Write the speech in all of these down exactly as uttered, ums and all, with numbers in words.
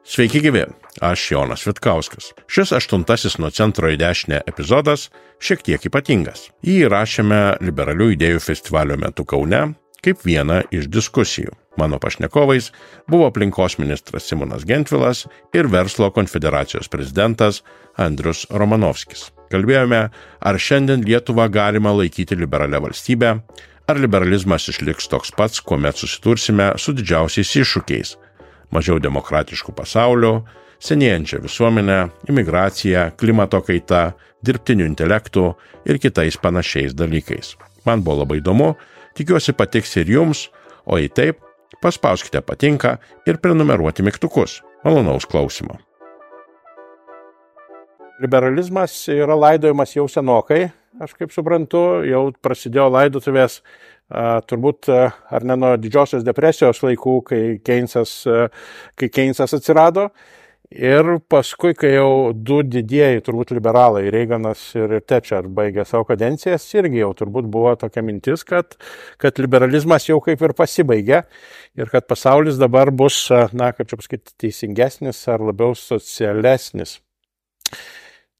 Sveiki gyvi, aš Jonas Vitkauskas. Šis aštuntasis nuo centro į dešinę epizodas šiek tiek ypatingas. Jį įrašėme Liberalių idėjų festivalio metu Kaune kaip vieną iš diskusijų. Mano pašnekovais buvo aplinkos ministras Simonas Gentvilas ir Verslo konfederacijos prezidentas Andrius Romanovskis. Kalbėjome, ar šiandien Lietuvą galima laikyti liberalia valstybe, ar liberalizmas išliks toks pats, kuomet susitursime su didžiausiais iššūkiais – mažiau demokratiškų pasaulių, senėjančią visuomenę, imigraciją, klimato kaita, dirbtiniu intelektu ir kitais panašiais dalykais. Man buvo labai įdomu, tikiuosi patiks ir jums, o jei taip, paspauskite patinka ir prenumeruoti mygtukus. Malonaus klausimo. Liberalizmas yra laidojimas jau senokai, aš kaip suprantu, jau prasidėjo laidotuvės a, turbūt a, ar ne nuo didžiosios depresijos laikų, kai Keynesas, a, kai Keynesas atsirado. Ir paskui, kai jau du didieji turbūt liberalai, Reaganas ir Thatcher baigė savo kadencijas, irgi jau turbūt buvo tokia mintis, kad, kad liberalizmas jau kaip ir pasibaigė ir kad pasaulis dabar bus, na, kaip čia pasakyti, teisingesnis ar labiau socialesnis.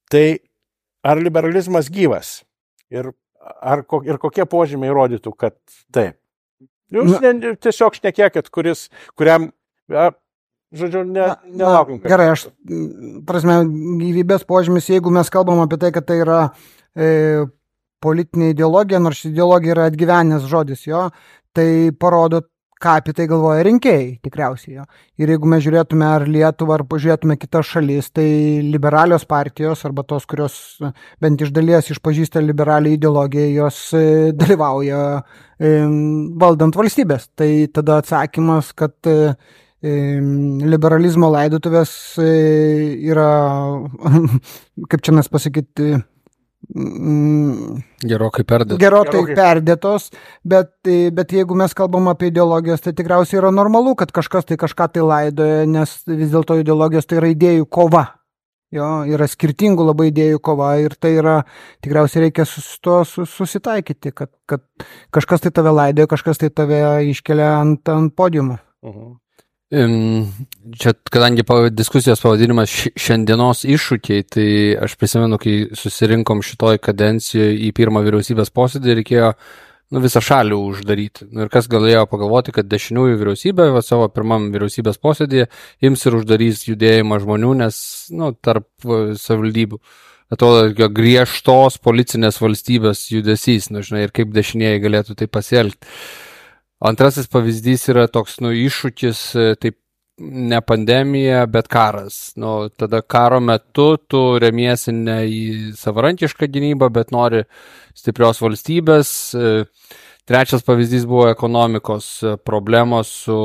Tai ar liberalizmas gyvas? Ir, ar, ir kokie požymiai rodytų, kad taip? Jūs ne, tiesiog šnekėkit, kuris, kuriam, ja, žodžiu, ne, nelaukim. Gerai, aš, prasme, gyvybės požymis, jeigu mes kalbam apie tai, kad tai yra e, politinė ideologija, nors ideologija yra atgyvenęs žodis, jo, tai parodo, ką apie tai galvoja rinkėjai, tikriausiai. Jo. Ir jeigu mes žiūrėtume ar Lietuvą, ar pažiūrėtume kitas šalis, tai liberalios partijos, arba tos, kurios bent iš dalies išpažįsta liberalią ideologiją, jos e, dalyvauja e, valdant valstybės. Tai tada atsakymas, kad e, liberalizmo laidotuvės e, yra, kaip čia mes pasakyti, Gerokai perdėtos. Gerokai perdėtos, bet, bet jeigu mes kalbam apie ideologijas, tai tikriausiai yra normalu, kad kažkas tai kažką tai laidoja, nes vis dėlto ideologijos tai yra idėjų kova. Jo, yra skirtingų labai idėjų kova ir tai yra, tikriausiai reikia su to susitaikyti, kad, kad kažkas tai tave laidoja, kažkas tai tave iškelia ant, ant podiumo. Uh-huh. Čia, kadangi diskusijos pavadinimas šiandienos iššūkiai, tai aš prisimenu, kai susirinkom šitoj kadencijoje į pirmą vyriausybės posėdį, reikėjo nu, visą šalį uždaryti. Nu, ir kas galėjo pagalvoti, kad dešiniųjų vyriausybė va, savo pirmam vyriausybės posėdėje ims ir uždarys judėjimą žmonių, nes nu, tarp savivaldybių atrodo griežtos policinės valstybės judesys, nu, žinai, ir kaip dešinieji galėtų tai pasielgti. Antrasis pavyzdys yra toks, nu, iššūkis, taip, ne pandemija, bet karas. Nu, tada karo metu tu remiesi ne į savarankišką gynybą, bet nori stiprios valstybės. Trečias pavyzdys buvo ekonomikos problemos su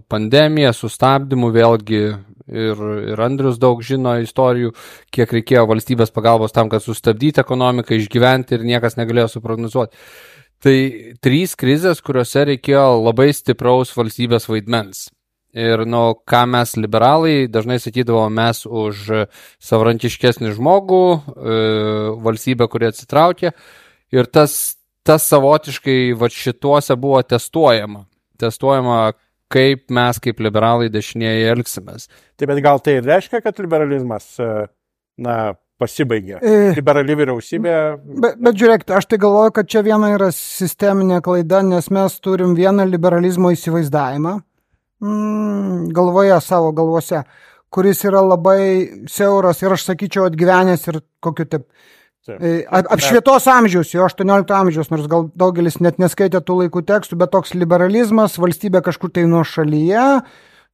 pandemija, su stabdymu, vėlgi ir, ir Andrius daug žino istorijų, kiek reikėjo valstybės pagalbos tam, kad sustabdyti ekonomiką, išgyventi ir niekas negalėjo suprognozuoti. Tai trys krizės, kuriuose reikėjo labai stipraus valstybės vaidmens. Ir, nu, ką mes liberalai dažnai sakydavo, mes už savarankiškesnį žmogų, e, valstybę, kuri atsitraukė. Ir tas, tas savotiškai va, šituose buvo testuojama. Testuojama, kaip mes kaip liberalai dešinieji elgsimės. Taip, bet gal tai reiškia, kad liberalizmas, na, pasibaigė. Liberali vyriausybė. Bet, bet žiūrėkite, aš tai galvoju, kad čia viena yra sisteminė klaida, nes mes turim vieną liberalizmo įsivaizdavimą mm, galvoje, savo galvose, kuris yra labai siauras ir aš sakyčiau atgyvenęs ir kokiu taip. Apšvietos amžiaus, jo aštuoniolikto amžiaus, nors gal daugelis net neskaitė tų laikų tekstų, bet toks liberalizmas, valstybė kažkur tai nuo šalyje,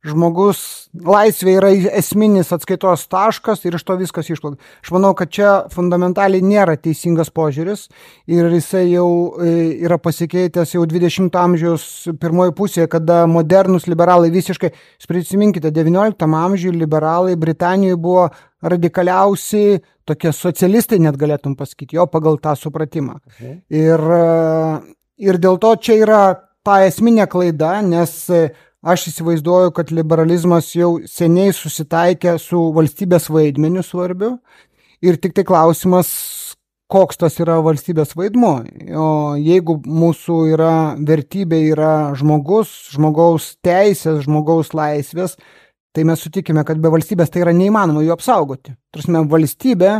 žmogus, laisvė yra esminis atskaitos taškas ir iš to viskas išplaukia. Aš manau, kad čia fundamentaliai nėra teisingas požiūris ir jisai jau yra pasikeitęs jau dvidešimto amžiaus pirmoji pusėje, kada modernus liberalai visiškai, prisiminkite, devynioliktam amžiuje liberalai Britanijoje buvo radikaliausi, tokie socialistai net galėtum pasakyti, jo pagal tą supratimą. Mhm. Ir, ir dėl to čia yra ta esminė klaida, nes aš įsivaizduoju, kad liberalizmas jau seniai susitaikė su valstybės vaidmeniu svarbiu ir tik tai klausimas, koks tas yra valstybės vaidmuo. O jeigu mūsų yra vertybė yra žmogus, žmogaus teisės, žmogaus laisvės, tai mes sutikime, kad be valstybės tai yra neįmanoma jų apsaugoti. Tarsi, valstybė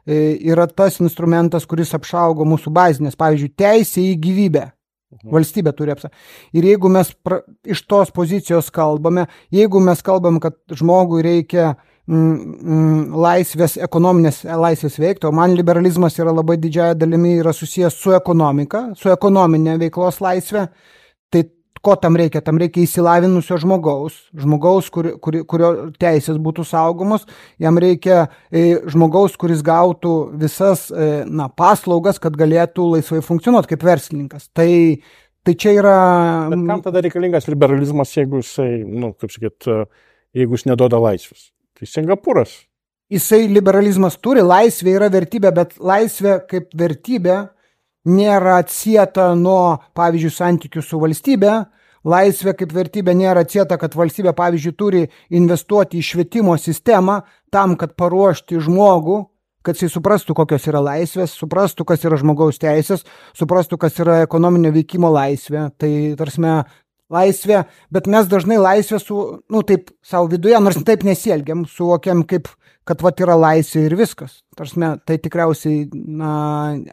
yra tas instrumentas, kuris apsaugo mūsų bazinės, pavyzdžiui, teisė į gyvybę. Valstybė turi apsaugoti. Ir jeigu mes pra, iš tos pozicijos kalbame, jeigu mes kalbam, kad žmogui reikia mm, mm, laisvės, ekonominės laisvės veikti, o man liberalizmas yra labai didžiąją dalimi yra susijęs su ekonomika, su ekonominė veiklos laisvė, tai ko tam reikia? Tam reikia įsilavinusio žmogaus, žmogaus, kur, kur, kurio teisės būtų saugomos, jam reikia e, žmogaus, kuris gautų visas e, na, paslaugas, kad galėtų laisvai funkcionuoti kaip verslininkas. Tai, tai čia yra... Bet kam tada reikalingas liberalizmas, jeigu jisai, nu, kaip sakyt, jeigu jis neduoda laisvės? Tai Singapūras. Jisai liberalizmas turi, laisvė yra vertybė, bet laisvė kaip vertybė nėra atsieta nuo, pavyzdžiui, santykių su valstybė. Laisvė kaip vertybė nėra atsieta, kad valstybė, pavyzdžiui, turi investuoti į švietimo sistemą tam, kad paruošti žmogų, kad jis suprastų, kokios yra laisvės, suprastų, kas yra žmogaus teisės, suprastų, kas yra ekonominio veikimo laisvė. Tai, tarsime, laisvė, bet mes dažnai laisvę su, nu, taip, savo viduje, nors taip nesielgiam, suvokiam kaip kad vat yra laisvė ir viskas. Tarsime, tai tikriausiai, na,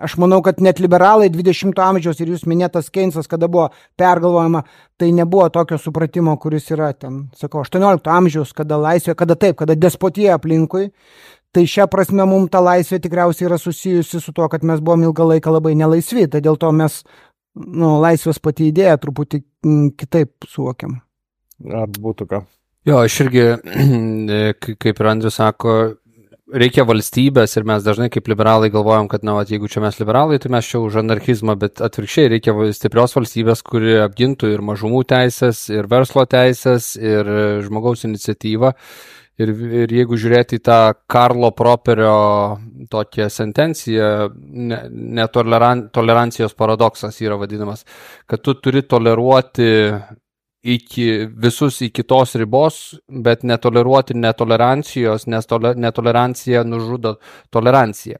aš manau, kad net liberalai dvidešimto amžiaus ir jūs minėtas Keynesas, kada buvo pergalvojama, tai nebuvo tokio supratimo, kuris yra ten, sakau, aštuoniolikto amžiaus, kada laisvė, kada taip, kada despotija aplinkui. Tai šią prasme mums ta laisvė tikriausiai yra susijusi su tuo, kad mes buvom ilgą laiką labai nelaisvi, tai dėl to mes, nu, laisvės pati idėja truputį kitaip suvokiam. Ar būtų ką? Jo, aš irgi, kaip ir Andrius sako, reikia valstybės ir mes dažnai kaip liberalai galvojam, kad, na, vat, jeigu čia mes liberalai, tai mes čia už anarchizmą, bet atvirkščiai reikia stiprios valstybės, kuri apgintų ir mažumų teisės, ir verslo teisės, ir žmogaus iniciatyvą. Ir, ir jeigu žiūrėti į tą Karlo Properio tokią sentenciją, ne, netolerancijos paradoksas yra vadinamas, kad tu turi toleruoti iki, visus iki tos ribos, bet netoleruoti netolerancijos, nes tole, netolerancija nužudo toleranciją.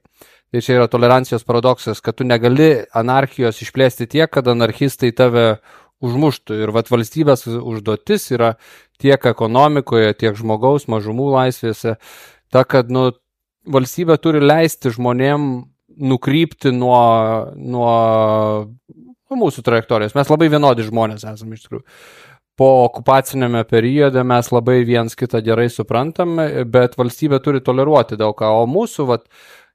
Tai čia yra tolerancijos paradoksas, kad tu negali anarchijos išplėsti tiek, kad anarchistai tave užmuštų. Ir vat valstybės užduotis yra tiek ekonomikoje, tiek žmogaus mažumų laisvėse, ta, kad nu, valstybė turi leisti žmonėm nukrypti nuo, nuo, nuo mūsų trajektorijos. Mes labai vienodi žmonės esame iš tikrųjų. Po okupacinėme periode mes labai viens kitą gerai suprantam, bet valstybė turi toleruoti daug ką, o mūsų vat,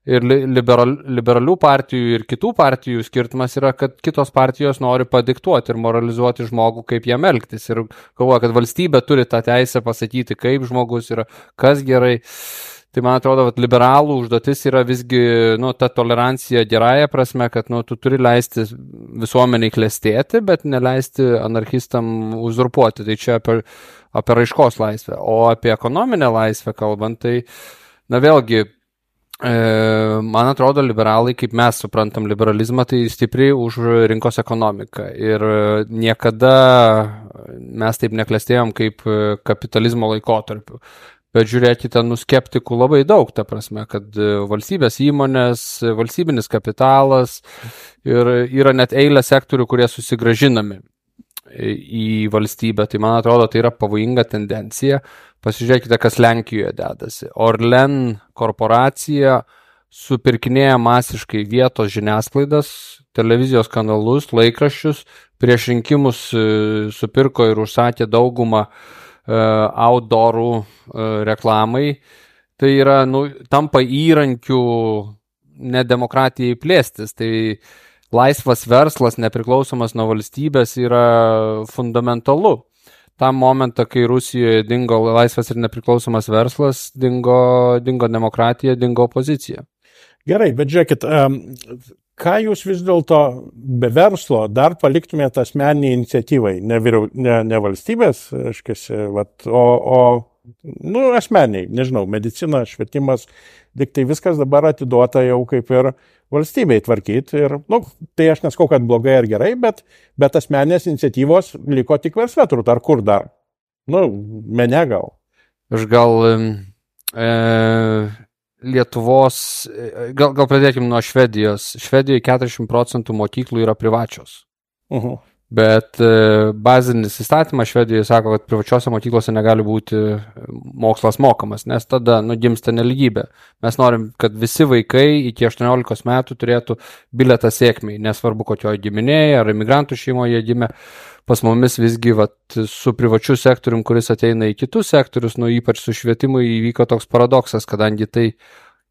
ir liberal, liberalių partijų ir kitų partijų skirtumas yra, kad kitos partijos nori padiktuoti ir moralizuoti žmogų, kaip jam elgtis. Ir galvoja, kad valstybė turi tą teisę pasakyti, kaip žmogus yra, kas gerai. Tai man atrodo, kad liberalų užduotis yra visgi nu, ta tolerancija gerąją prasme, kad nu, tu turi leisti visuomeniai klestėti, bet neleisti anarchistam uzurpuoti. Tai čia apie, apie raiškos laisvę. O apie ekonominę laisvę kalbant, tai na vėlgi, man atrodo, liberalai, kaip mes suprantam liberalizmą, tai stipriai už rinkos ekonomiką. Ir niekada mes taip neklestėjom kaip kapitalizmo laikotarpiu. Bet žiūrėkite, nu skeptikų labai daug, ta prasme, kad valstybės įmonės, valstybinis kapitalas ir yra net eilė sektorių, kurie susigražinami į valstybę. Tai man atrodo, tai yra pavojinga tendencija. Pasižiūrėkite, kas Lenkijoje dedasi. Orlen korporacija supirkinėja masiškai vietos žiniasklaidas, televizijos kanalus, laikraščius, prieš rinkimus supirko ir užsakė daugumą outdoorų reklamai. Tai yra, nu, tampa įrankių nedemokratijai plėstis. Tai laisvas verslas, nepriklausomas nuo valstybės, yra fundamentalu. Tam momentą, kai Rusijoje dingo laisvas ir nepriklausomas verslas, dingo, dingo demokratija, dingo opozicija. Gerai, bet žiūrėkit, ką jūs vis dėlto be verslo dar paliktumėte asmeniniai iniciatyvai, ne, vyriau, ne, ne valstybės, aiškiasi, vat, o, o nu, asmeniai, nežinau, medicina, švietimas, tik tai viskas dabar atiduota jau kaip ir valstybei tvarkyti. Ir, nu, tai aš neskau, kad blogai ar gerai, bet, bet asmeninės iniciatyvos liko tik versle, turbūt, ar kur dar? Nu, mene gal. Aš gal... E... Lietuvos, gal, gal pradėkim nuo Švedijos. Švedijoje keturiasdešimt procentų mokyklų yra privačios. Uh-huh. Bet bazinis įstatymas Švedijoje sako, kad privačiose mokyklose negali būti mokslas mokamas, nes tada nugimsta nelygybė. Mes norim, kad visi vaikai iki aštuoniolikos metų turėtų bilietą sėkmiai, nesvarbu kokioje giminėje ar imigrantų šeimoje gimė. Pas mumis visgi vat, su privačiu sektorium, kuris ateina į kitus sektorius, nu ypač su švietimu įvyko toks paradoksas, kadangi tai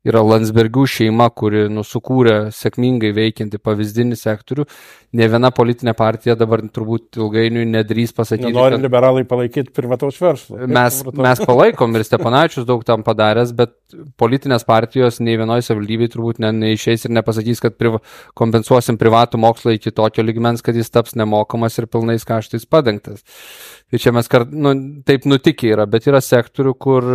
yra Landsbergių šeima, kuri nu, sukūrė sėkmingai veikianti pavyzdinį sektorių. Ne viena politinė partija dabar turbūt ilgainiui nedrįs pasakyti. Nenori kad liberalai palaikyti privataus verslą. Mes, mes palaikom ir Steponavičius daug tam padaręs, bet politinės partijos nei vienoje savivaldybėje turbūt ne, neišeis ir nepasakys, kad priva, kompensuosim privatų mokslą iki tokio lygmens, kad jis taps nemokamas ir pilnais kaštais padengtas. Tai čia mes kart, nu, taip nutikę yra, bet yra sektorių, kur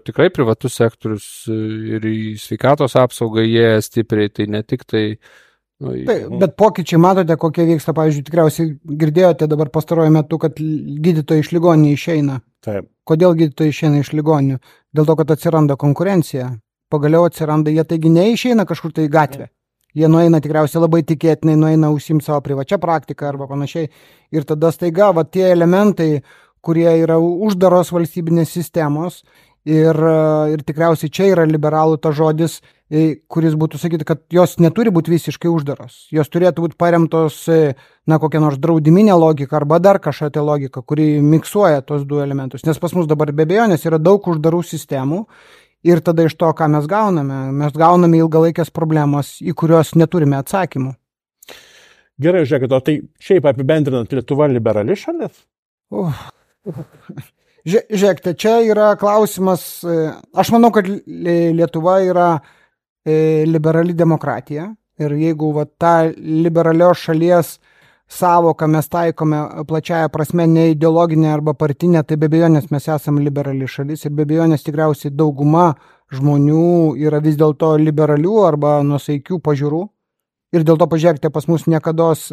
tikrai privatus sektorius ir į sveikatos apsaugą jie stipriai, tai ne tik tai. Nu, tai bet pokyčiai matote, kokie vyksta, pavyzdžiui, tikriausiai girdėjote dabar pastaruoju metu, kad gydytojai iš ligoninių išeina. Taip. Kodėl gydytojai išeina iš ligoninių? Dėl to, kad atsiranda konkurencija. Pagaliau atsiranda, jie taigi neišeina kažkur tai į gatvę. Jie nueina tikriausiai labai tikėtinai, nueina užsiimti savo privačią praktiką arba panašiai. Ir tada staiga va, tie elementai, kurie yra uždaros valstybinės sistemos ir, ir tikriausiai čia yra liberalų ta žodis, kuris būtų sakyti, kad jos neturi būti visiškai uždaros. Jos turėtų būti paremtos, na, kokia nors draudiminė logika arba dar kažkokia logika, kuri miksuoja tos du elementus. Nes pas mus dabar be abejonės yra daug uždarų sistemų. Ir tada iš to, ką mes gauname, mes gauname ilgalaikės problemas, į kurios neturime atsakymų. Gerai, žiūrėkit, o tai šiaip apibendrinant, Lietuva liberali šalis? Uh. Žiūrėkite, čia yra klausimas, aš manau, kad Lietuva yra liberali demokratija ir jeigu va, ta liberalios šalies savoką mes taikome plačiaja prasme ne ideologinė arba partinė, tai be abejonės mes esame liberali šalis ir be abejonės tikriausiai dauguma žmonių yra vis dėlto liberalių arba nusaikių pažiūrų. Ir dėl to pažiūrėkite, pas mus niekados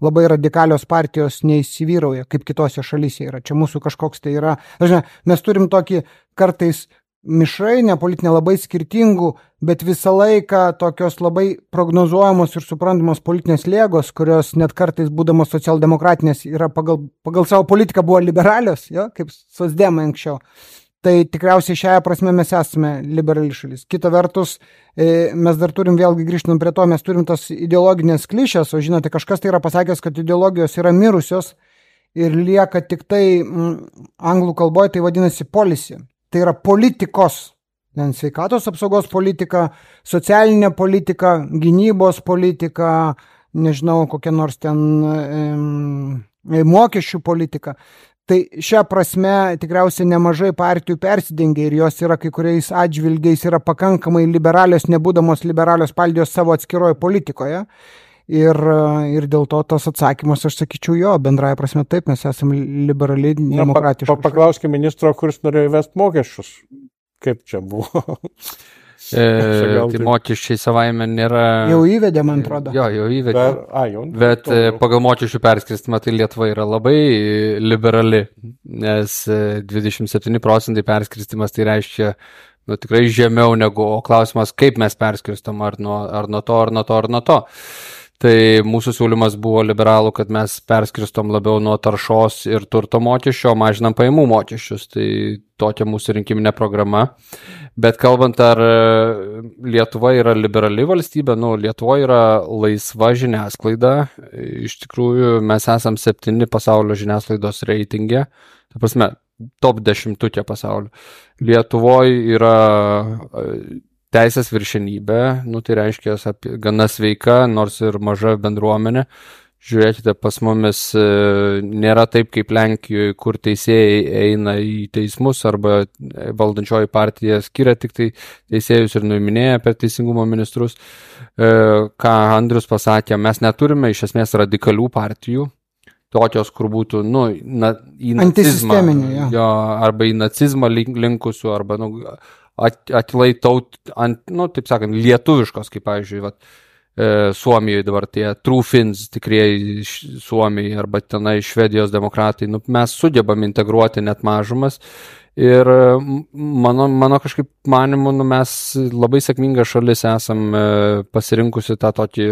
labai radikalios partijos neįsivyrauja, kaip kitose šalyse yra. Čia mūsų kažkoks tai yra. Žinai, mes turim tokį kartais mišrainę politinę labai skirtingų, bet visą laiką tokios labai prognozuojamos ir suprantamos politinės lėgos, kurios net kartais būdamos socialdemokratinės yra pagal, pagal savo politiką buvo liberalios, jo, kaip socdemai anksčiau. Tai tikriausiai šią prasme mes esame liberali šalis. Kita vertus, mes dar turim vėlgi grįžtant prie to, mes turim tas ideologinės klišės, o žinote, kažkas tai yra pasakęs, kad ideologijos yra mirusios ir lieka tik tai m, anglų kalboje, tai vadinasi policy. Tai yra politikos, sveikatos apsaugos politika, socialinė politika, gynybos politika, nežinau, kokia nors ten e, mokesčių politika. Tai šią prasme tikriausiai nemažai partijų persidengia ir jos yra kai kuriais atžvilgiais yra pakankamai liberalios, nebūdamos liberalios partijos savo atskiroje politikoje. Ir, ir dėl to tas atsakymas, aš sakyčiau, jo, bendraja prasme taip, mes esame liberali, demokratiški. Pa, pa, paklauskime ministro, kuris norėjo įvesti mokesčius. Kaip čia buvo? E, tai mokesčiai savaime nėra... Jau įvedė, man atrodo. Jo, jau įvedė. Per, a, jau, Bet to, jau. Pagal mokesčių perskirstimą tai Lietuva yra labai liberali, nes dvidešimt septyni procentai perskirstimas tai reiškia nu, tikrai žemiau negu, o klausimas, kaip mes perskirstom, ar nuo, ar nuo to, ar nuo to, ar nuo to. Tai mūsų siūlymas buvo liberalų, kad mes perskirstom labiau nuo taršos ir turto mokesčio, mažinam pajamų mokesčius. Tai tokia mūsų rinkiminė programa. Bet kalbant, ar Lietuva yra liberali valstybė, nu, Lietuva yra laisva žiniasklaida. Iš tikrųjų, mes esam septyni pasaulio žiniasklaidos reitinge. Ta prasme, top dešimtukė pasaulio. Lietuvoje yra teisės viršenybė, nu tai reiškia gana sveika, nors ir maža bendruomenė. Žiūrėkite, pas mumis nėra taip kaip Lenkijoje, kur teisėjai eina į teismus arba valdančioji partija skiria tik tai teisėjus ir nuiminėja per teisingumo ministrus. Ką Andrius pasakė, mes neturime iš esmės radikalių partijų, tokios, kur būtų, nu, na, į nacizmą, jo, arba į nacizmą linkusių, arba, nu, atlai taut, ant, nu, taip sakant, lietuviškos, kaip, pavyzdžiui, vat, e, Suomijoje dabar tie True Finns, tikrieji Suomijai, arba tenai Švedijos demokratai, nu, mes sugebam integruoti net mažumas ir mano, mano kažkaip manimu, nu, mes labai sėkminga šalis esam e, pasirinkusi tą tokį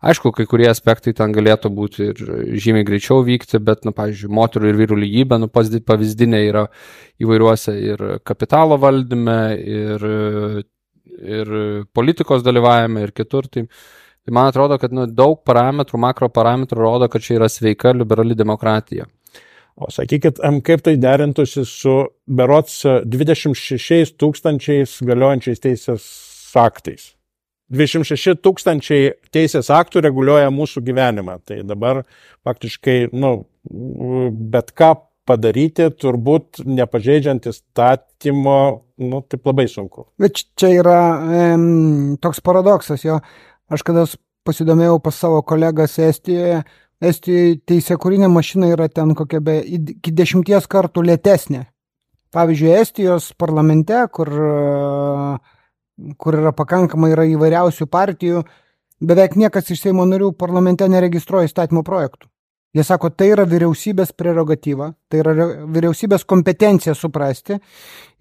Aišku, kai kurie aspektai ten galėtų būti ir žymiai greičiau vykti, bet, nu, pavyzdžiui, moterų ir vyrų lygybė, nu, pavyzdinė yra įvairiuose ir kapitalo valdyme, ir, ir politikos dalyvavime, ir kitur. Tai, tai man atrodo, kad nu, daug parametrų, makro parametrų rodo, kad čia yra sveika liberali demokratija. O sakykit, kaip tai derintųsi su berots dvidešimt šešiais tūkstančiais galiojančiais teisės aktais? dvidešimt šeši tūkstančiai teisės aktų reguliuoja mūsų gyvenimą. Tai dabar faktiškai, nu, bet ką padaryti, turbūt nepažeidžiant įstatymo, nu, taip labai sunku. Bet čia yra em, toks paradoksas, jo. Aš kada pasidomėjau pas savo kolegas Estijoje, Estijoje teisėkūrinė mašina yra ten kokia be iki dešimties kartų lėtesnė. Pavyzdžiui, Estijos parlamente, kur, kur yra pakankamai yra įvairiausių partijų, beveik niekas iš Seimo narių parlamente neregistruoja įstatymo projektų. Jie sako, tai yra vyriausybės prerogatyva, tai yra vyriausybės kompetencija suprasti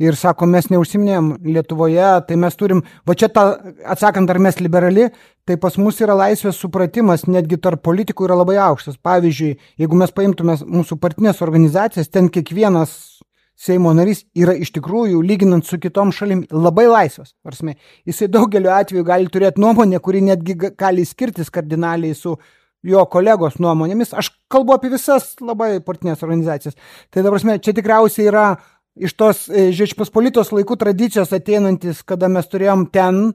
ir sako, mes neužsiminėjom Lietuvoje, tai mes turim, va čia ta, atsakant, ar mes liberali, tai pas mus yra laisvės supratimas, netgi tarp politikų yra labai aukštas. Pavyzdžiui, jeigu mes paimtume mūsų partinės organizacijas, ten kiekvienas Seimo narys yra iš tikrųjų, lyginant su kitom šalim, labai laisvas. Varsime, jisai daugeliu atveju gali turėti nuomonę, kuri netgi gali skirtis kardinaliai su jo kolegos nuomonėmis. Aš kalbu apie visas labai partinės organizacijas. Tai dabar, čia tikriausiai yra iš tos Žečpospolitos laikų tradicijos ateinantis, kada mes turėjom ten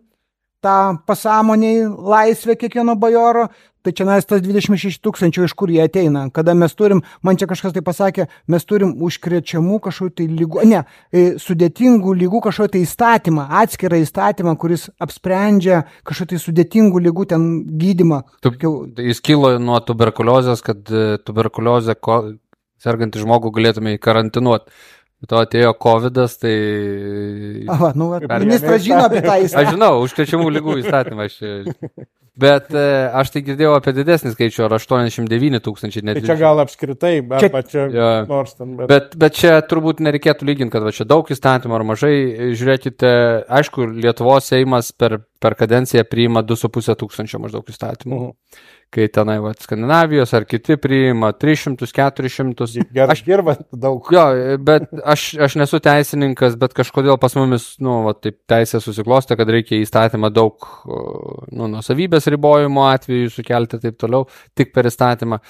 tą pasąmoniai laisvę kiekvieno bajoro, tai čia nais tas dvidešimt šeši tūkstančių, iš kur jie ateina. Kada mes turim, man čia kažkas tai pasakė, mes turim užkrečiamų kažkokių tai lygų, ne, sudėtingų lygų kažkokių tai įstatymą, atskirą įstatymą, kuris apsprendžia kažkokių tai sudėtingų lygų ten gydymą. Tu, jis kilo nuo tuberkuliozės, kad tuberkuliozę sergantį žmogų galėtume įkarantinuoti. To atėjo kovidas, tai... Aha, nu, ministras žino apie tą įstatymą. Aš žinau, užkrečiamų lygų įstatymą. Aš... Bet aš tai girdėjau apie didesnį skaičių, ar aštuoniasdešimt devyni tūkstančiai. Tai čia gal apskritai, bet čia, čia ja. nors ten. Bet... Bet, bet čia turbūt nereikėtų lyginti, kad va, čia daug įstatymų ar mažai. Žiūrėkite, aišku, Lietuvos Seimas per, per kadenciją priima du su pusė tūkstančio maždaug įstatymų. Uh-huh. Kai tenai, va, Skandinavijos ar kiti priima tris šimtus, keturis šimtus. Aš dirba daug. Jo, bet aš, aš nesu teisininkas, bet kažkodėl pas mumis, nu, va, taip teisė susiklostė, kad reikia įstatymą daug, nu, nuosavybės ribojimo atveju sukelti taip toliau, tik per įstatymą.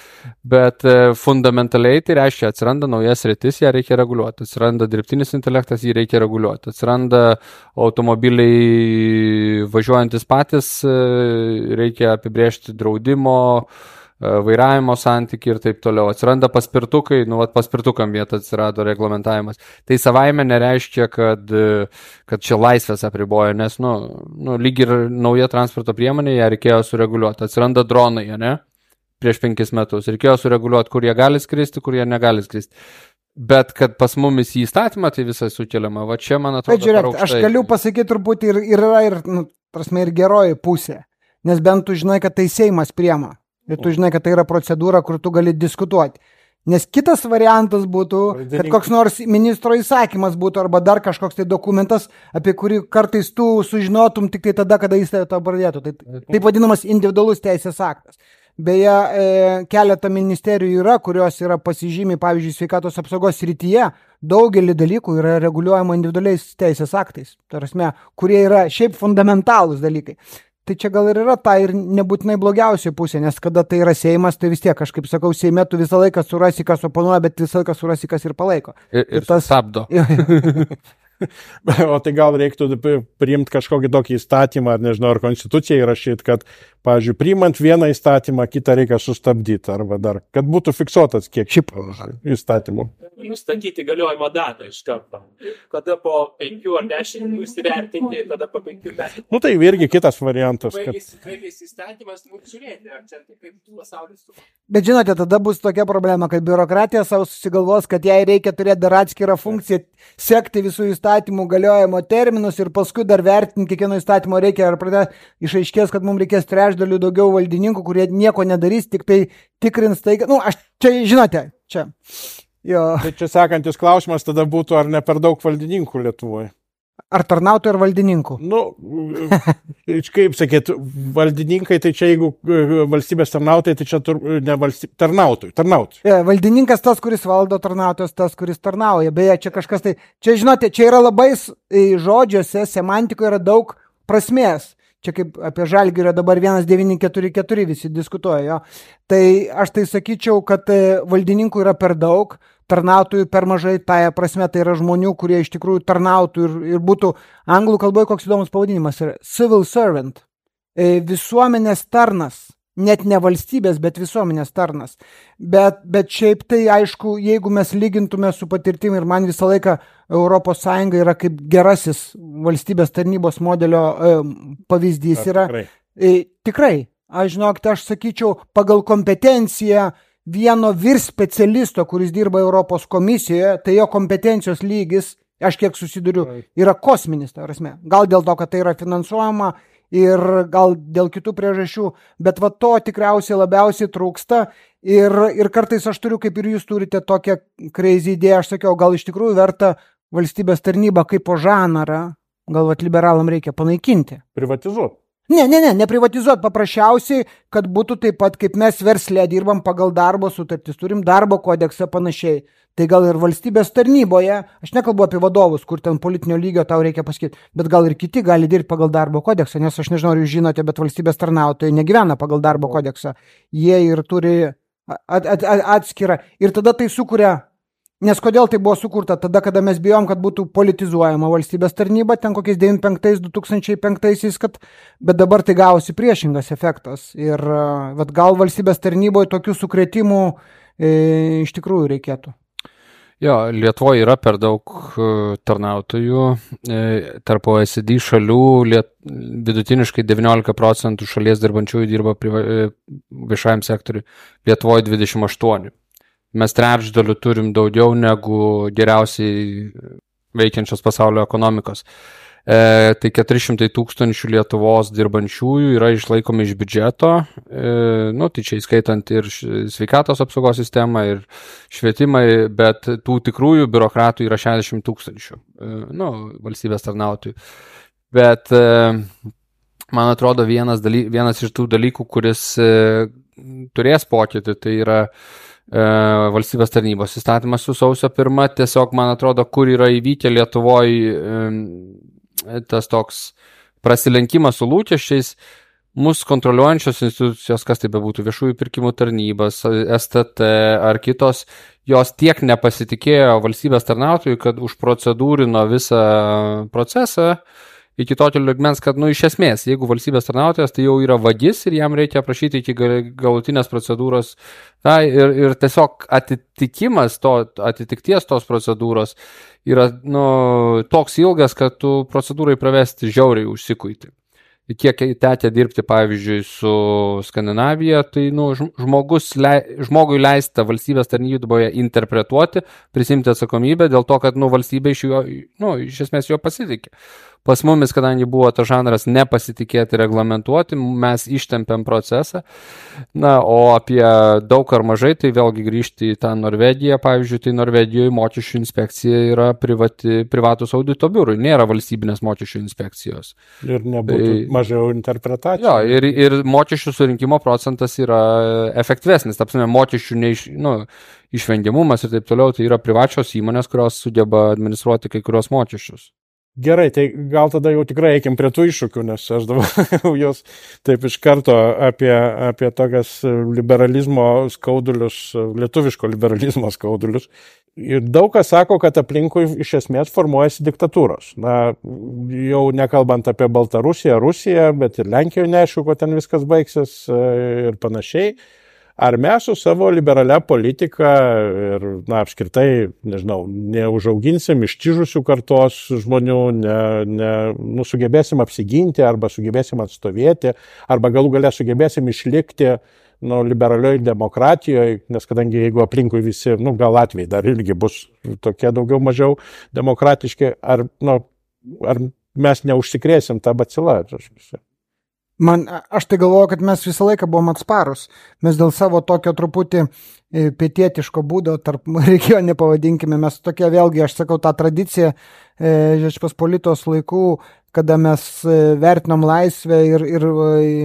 Bet fundamentaliai tai reiškia, atsiranda naujas sritis, ją reikia reguliuoti. Atsiranda dirbtinis intelektas, jį reikia reguliuoti. Atsiranda automobiliai važiuojantis patys, reikia apibrėžti draudimo, vairavimo santykį ir taip toliau. Atsiranda paspirtukai, nu, vat paspirtukam vietą atsirado reglamentavimas. Tai savaime nereiškia, kad, kad čia laisvės apriboja, nes, nu, nu, lyg ir nauja transporto priemonė, ją reikėjo sureguliuoti. Atsiranda dronai, ne? Prieš penkis metus. Reikėjo sureguliuoti, kur jie gali skristi, kur jie negali skristi. Bet kad pas mumis į įstatymą tai visai sukeliama. Va čia, man atrodo, bet žiūrėk, aš galiu pasakyti turbūt ir, ir yra ir, nu, prasme, ir geroji pusė. Nes bent tu žinai, kad tai Seimas priema. Ir tu žinai, kad tai yra procedūra, kur tu gali diskutuoti. Nes kitas variantas būtų, kad koks nors ministro įsakymas būtų arba dar kažkoks tai dokumentas, apie kurį kartais tu sužinotum tik tai tada, kada jis to pradėtų. Tai taip vadinamas individualus teisės aktas. Beje, e, keletą ministerijų yra, kurios yra pasižymi, pavyzdžiui, sveikatos apsaugos srityje, daugelį dalykų yra reguliuojama individualiais teisės aktais, tarasme, kurie yra šiaip fundamentalūs dalykai. Tai čia gal ir yra ta ir nebūtinai blogiausia pusė, nes kada tai yra Seimas, tai vis tiek, aš kaip sakau, Seime tu visą laiką surasi, kas oponuoja, bet visą laiką surasi, kas ir palaiko. Ir, ir, ir tas stabdo. O tai gal reiktų priimti kažkokį tokį įstatymą, ar nežinau, ar konstituciją įrašyti, kad, pavyzdžiui, priimant vieną įstatymą, kitą reikia sustabdyti, arba dar, kad būtų fiksuotas kiek šip įstatymų. Nustatyti galiojimo datą iš karto. Kada po penkių ar dešimt įsivertinti, kada po penkių metų. Nu tai irgi kitas variantas. Baigėsi kad... įstatymas, nu žiūrėti, ar čia kaip pasaulis. Bet žinote, tada bus tokia problema, kad biurokratija savo susigalvos, kad jai reikia turėti dar atskirą funkciją, sekti visų įstatymų galiojimo terminus ir paskui dar vertinti kiekvieno įstatymo reikia, ar pradė išaiškės, kad mums reikės trečdalių daugiau valdininkų, kurie nieko nedarys, tik tai tikrins tai, nu, aš čia, žinote, čia. Jo. Tai čia sekantis klausimas tada būtų, ar ne per daug valdininkų Lietuvoje? Ar tarnautojų, ar valdininkų? Nu, kaip sakyt, valdininkai, tai čia jeigu valstybės tarnautojai, tai čia tur, ne valstybės tarnautojai, tarnautojai. Ja, valdininkas tas, kuris valdo, tarnautojas tas, kuris tarnauja. Beje, čia kažkas tai, čia žinote, čia yra labai žodžiuose, semantikoje yra daug prasmės. Čia kaip apie Žalgirio dabar vienas devyni keturi keturi visi diskutuoja. Jo. Tai aš tai sakyčiau, kad valdininkų yra per daug, tarnautojų per mažai, tai prasme tai yra žmonių, kurie iš tikrųjų tarnautų ir, ir būtų, anglų kalboje koks įdomus pavadinimas yra civil servant, visuomenės tarnas, net ne valstybės, bet visuomenės tarnas. Bet, bet šiaip tai aišku, jeigu mes lygintume su patirtimi ir man visą laiką Europos Sąjunga yra kaip gerasis valstybės tarnybos modelio e, pavyzdys yra. Tikrai. E, tikrai, aš žinokite, aš sakyčiau, pagal kompetenciją vieno vyr specialisto, kuris dirba Europos komisijoje, tai jo kompetencijos lygis, aš kiek susiduriu, yra kosminis, ta prasme. Gal dėl to, kad tai yra finansuojama ir gal dėl kitų priežasčių, bet va to tikriausiai labiausiai trūksta ir, ir kartais aš turiu, kaip ir jūs turite tokią crazy idėją, aš sakiau, gal iš tikrųjų verta valstybės tarnybą kaip po žanrą, gal vat liberalam reikia panaikinti. Privatizuoti. Ne, ne, ne, neprivatizuoti, paprasčiausiai, kad būtų taip pat, kaip mes versle dirbam pagal darbo sutartis, turim darbo kodeksą panašiai. Tai gal ir valstybės tarnyboje, aš nekalbu apie vadovus, kur ten politinio lygio tau reikia pasakyti, bet gal ir kiti gali dirbti pagal darbo kodeksą, nes aš nežinau, ar jūs žinote, bet valstybės tarnautojai negyvena pagal darbo kodeksą. Jie ir turi at, at, at, atskirą. Ir tada tai sukuria. Nes kodėl tai buvo sukurta? Tada, kada mes bijom, kad būtų politizuojama valstybės tarnyba, ten kokiais devyniasdešimt penktais du tūkstančiai penktaisiais, kad, bet dabar tai gausi priešingas efektas. Ir vat, gal valstybės tarnyboje tokių sukrėtimų e, iš tikrųjų reikėtų. Jo, Lietuvoje yra per daug tarnautojų. E, tarp O E C D šalių liet, vidutiniškai devyniolika procentų šalies dirbančiųjų dirba priva, e, viešajam sektoriui. Lietuvoje dvidešimt aštuoni. Mes trečdalių turim daugiau negu geriausiai veikiančios pasaulio ekonomikos. E, tai keturi šimtai tūkstančių Lietuvos dirbančiųjų yra išlaikomi iš biudžeto, e, nu, tai čia įskaitant ir sveikatos apsaugos sistemą, ir švietimą, bet tų tikrųjų biurokratų yra šešiasdešimt tūkstančių, e, nu, valstybės tarnautojų. Bet e, man atrodo vienas, daly, vienas iš tų dalykų, kuris e, turės pokytį, tai yra valstybės tarnybos įstatymas su sausio pirma, tiesiog man atrodo, kur yra įvykę Lietuvoje tas toks prasilenkimas su lūkesčiais, mus kontroliuojančios institucijos, kas tai bebūtų, viešųjų pirkimų tarnybas, S T T ar kitos, jos tiek nepasitikėjo valstybės tarnautojų, kad užprocedūrino visą procesą iki tokio lygmens, kad, nu, iš esmės, jeigu valstybės tarnautojas, tai jau yra vagis ir jam reikia aprašyti iki galutinės procedūros. Na, ir, ir tiesiog atitikimas to, atitikties tos procedūros yra, nu, toks ilgas, kad tu procedūrai pravesti žiauriai užsikuiti. Kiek tekę dirbti, pavyzdžiui, su Skandinavija, tai, nu, žmogus, žmogui leista valstybės tarnyboje interpretuoti, prisimti atsakomybę dėl to, kad, nu, valstybė iš jo, nu, iš esmės jo pasitikė. Pas mumis, kadangi buvo tas žanras nepasitikėti reglamentuoti, mes ištempėm procesą. Na, o apie daug ar mažai, tai vėlgi grįžti į tą Norvegiją, pavyzdžiui, tai Norvegijoje mokesčių inspekcija yra privati, privatus audito biurui, nėra valstybinės mokesčių inspekcijos. Ir nebūtų tai, mažiau interpretacijų. Jo, ir, ir mokesčių surinkimo procentas yra efektyvesnis, tapsime, mokesčių neiš, nu, išvengiamumas ir taip toliau, tai yra privačios įmonės, kurios sugeba administruoti kai kurios mokesčius. Gerai, tai gal tada jau tikrai eikim prie tų iššūkių, nes aš dabar jos taip iš karto apie, apie tokias liberalizmo skaudulius, lietuviško liberalizmo skaudulius. Ir daug kas sako, kad aplinkui iš esmės formuojasi diktatūros. Na, jau nekalbant apie Baltarusiją, Rusiją, bet ir Lenkijoje neaišku, kuo ten viskas baigsis ir panašiai. Ar mes su savo liberalia politika ir, na, apskritai, nežinau, neužauginsim ištižusių kartos žmonių, ne, ne, nu, sugebėsim apsiginti arba sugebėsim atstovėti, arba galų gale sugebėsim išlikti, nu, liberalioj demokratijoje, nes kadangi jeigu aplinkui visi, nu, gal Latvijai dar irgi bus tokie daugiau mažiau demokratiški, ar, nu, ar mes neužsikrėsim tą bacilą? Man, aš tai galvoju, kad mes visą laiką buvom atsparus. Mes dėl savo tokio truputį pietietiško būdo, tarp regione pavadinkime, mes tokie vėlgi, aš sakau, tą tradiciją Žečpospolitos laikų, kada mes vertinom laisvę ir, ir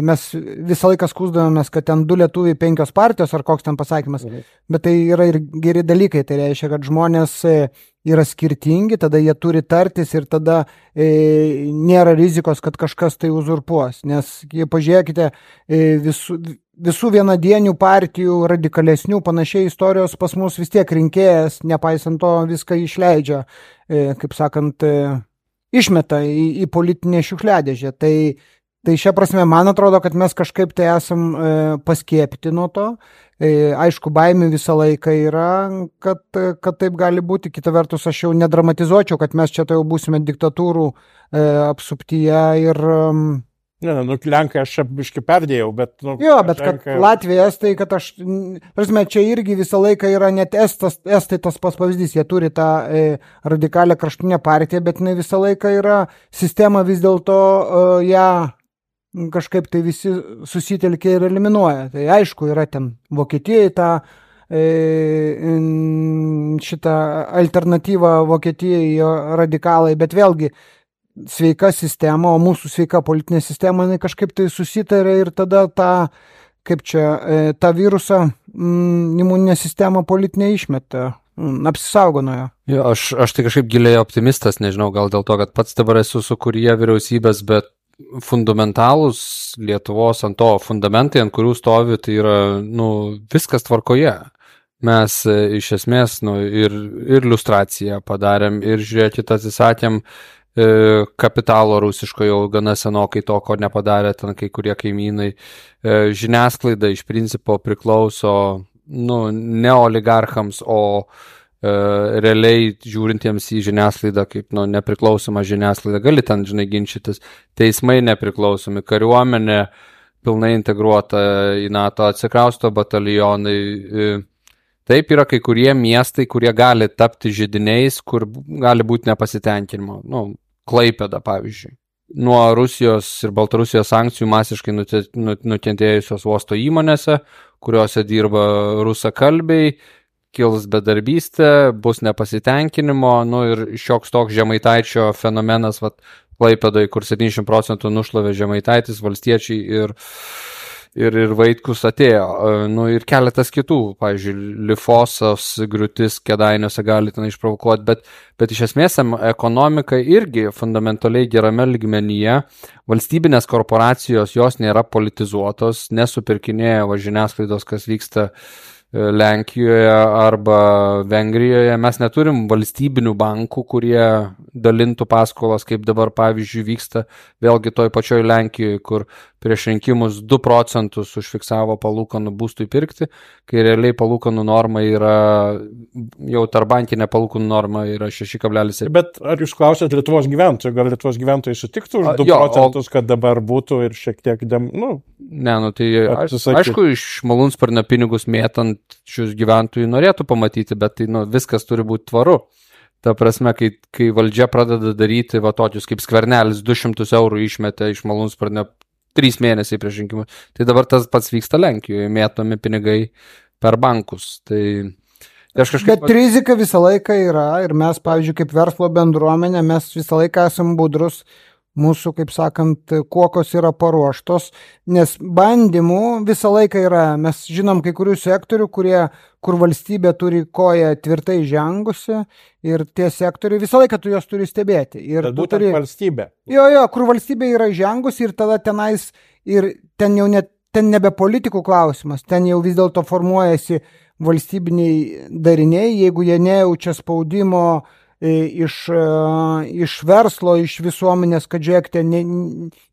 mes visą laiką skųsdavomės, kad ten du lietuviai, penkios partijos ar koks ten pasakymas, mhm. Bet tai yra ir geri dalykai, tai reiškia, kad žmonės yra skirtingi, tada jie turi tartis ir tada e, nėra rizikos, kad kažkas tai uzurpuos, nes pažiūrėkite, e, visų, visų vienadienių partijų, radikalesnių panašiai istorijos pas mus vis tiek rinkėjas, nepaisant to viską išleidžia, e, kaip sakant, e, išmeta į, į politinę šiukšliadėžę. Tai, tai šia prasme, man atrodo, kad mes kažkaip tai esam e, paskiepyti nuo to. E, aišku, baimė visą laiką yra, kad, kad taip gali būti. Kita vertus, aš jau nedramatizuočiau, kad mes čia tai jau būsime diktatūrų e, apsuptyje ir... Um, Ne, nu, Lenkai aš čia biškai perdėjau, bet... Nu, jo, bet Lenkai... kad Latvija, Estai, kad aš... Prasme, čia irgi visą laiką yra net Estas, Estai tas pas pavyzdys. Jie turi tą e, radikalią kraštinę partiją, bet ne visą laiką yra sistema vis dėlto e, ją kažkaip tai visi susitelkia ir eliminuoja. Tai aišku, yra ten Vokietijai tą e, šitą alternatyvą Vokietijai radikalai, bet vėlgi sveika sistema, o mūsų sveika politinė sistema, jinai kažkaip tai susitarė ir tada tą, kaip čia, tą virusą mm, imuninė sistema politinė išmeta, mm, apsisaugo nuo jo. Jo, aš, aš tai kažkaip giliai optimistas, nežinau, gal dėl to, kad pats dabar esu sukūrėje vyriausybės, bet fundamentalūs Lietuvos ant to fundamentai, ant kurių stovi, tai yra, nu, viskas tvarkoje. Mes iš esmės, nu, ir, ir liustraciją padarėm, ir žiūrėkit, atsisakėm kapitalo rusiško jau gana senokai to, ko nepadarė ten kai kurie kaimynai. Žiniasklaida iš principo priklauso nu, ne oligarchams, o e, realiai žiūrintiems į žiniasklaidą kaip nu, nepriklausoma žiniasklaida. Gali ten, žinai, ginčytis. Teismai nepriklausomi, kariuomenė pilnai integruota į NATO, atsikrausto batalionai. E, Taip yra kai kurie miestai, kurie gali tapti židiniais, kur gali būti nepasitenkinimo. Nu, Klaipėda, pavyzdžiui. Nuo Rusijos ir Baltarusijos sankcijų masiškai nukentėjusios uosto įmonėse, kuriuose dirba rusakalbiai, kils bedarbystė, bus nepasitenkinimo, nu ir šioks toks Žemaitaičio fenomenas, vat, Klaipėdoj, kur septyniasdešimt procentų nušlavė Žemaitaitis, valstiečiai ir Ir, ir Vaitkus atėjo, nu ir keletas kitų, pavyzdžiui, Lifosos griūtis Kėdainiuose gali ten išprovokuoti, bet, bet iš esmės ekonomika irgi fundamentaliai gerame lygmenyje, valstybinės korporacijos jos nėra politizuotos, nesupirkinėja va žiniasklaidos, kas vyksta Lenkijoje arba Vengrijoje. Mes neturim valstybinių bankų, kurie dalintų paskolas, kaip dabar pavyzdžiui vyksta vėlgi toj pačioj Lenkijoje, kur prieš rinkimus du procentus užfiksavo palūkanų būstui pirkti, kai realiai palūkanų norma yra, jau tarbankinė palūkanų norma yra šeši kablelis septyni. Bet ar jūs klausėt Lietuvos gyventojų, gal Lietuvos gyventojai sutiktų už du jo, procentus, o... kad dabar būtų ir šiek tiek, dem, nu... Ne, nu tai atsisakyti. Aišku, iš malūnsparnio pinigus mėtant šius gyventojų norėtų pamatyti, bet tai nu, viskas turi būti tvaru. Ta prasme, kai, kai valdžia pradeda daryti va tokius kaip Skvernelis du šimtus eurų išmetė iš malūnsparnio trys mėnesiai prieš rinkimus, tai dabar tas pats vyksta Lenkijoje, mėtomi pinigai per bankus. Tai, tai aš kažkaip... Bet rizika visą laiką yra ir mes, pavyzdžiui, kaip verslo bendruomenė, mes visą laiką esam budrus. Mūsų, kaip sakant, kuokos yra paruoštos, nes bandymų visą laiką yra, mes žinom kai kurių sektorių, kurie, kur valstybė turi koją tvirtai žengusi ir tie sektoriai visą laiką tu jos turi stebėti. Ir tu turi valstybė. Jo, jo, kur valstybė yra žengusi ir tada tenais, ir ten jau net, ten nebe politikų klausimas, ten jau vis dėlto formuojasi valstybiniai dariniai, jeigu jie nejaučia spaudimo Iš, iš verslo, iš visuomenės, kad žiūrėkite, ne,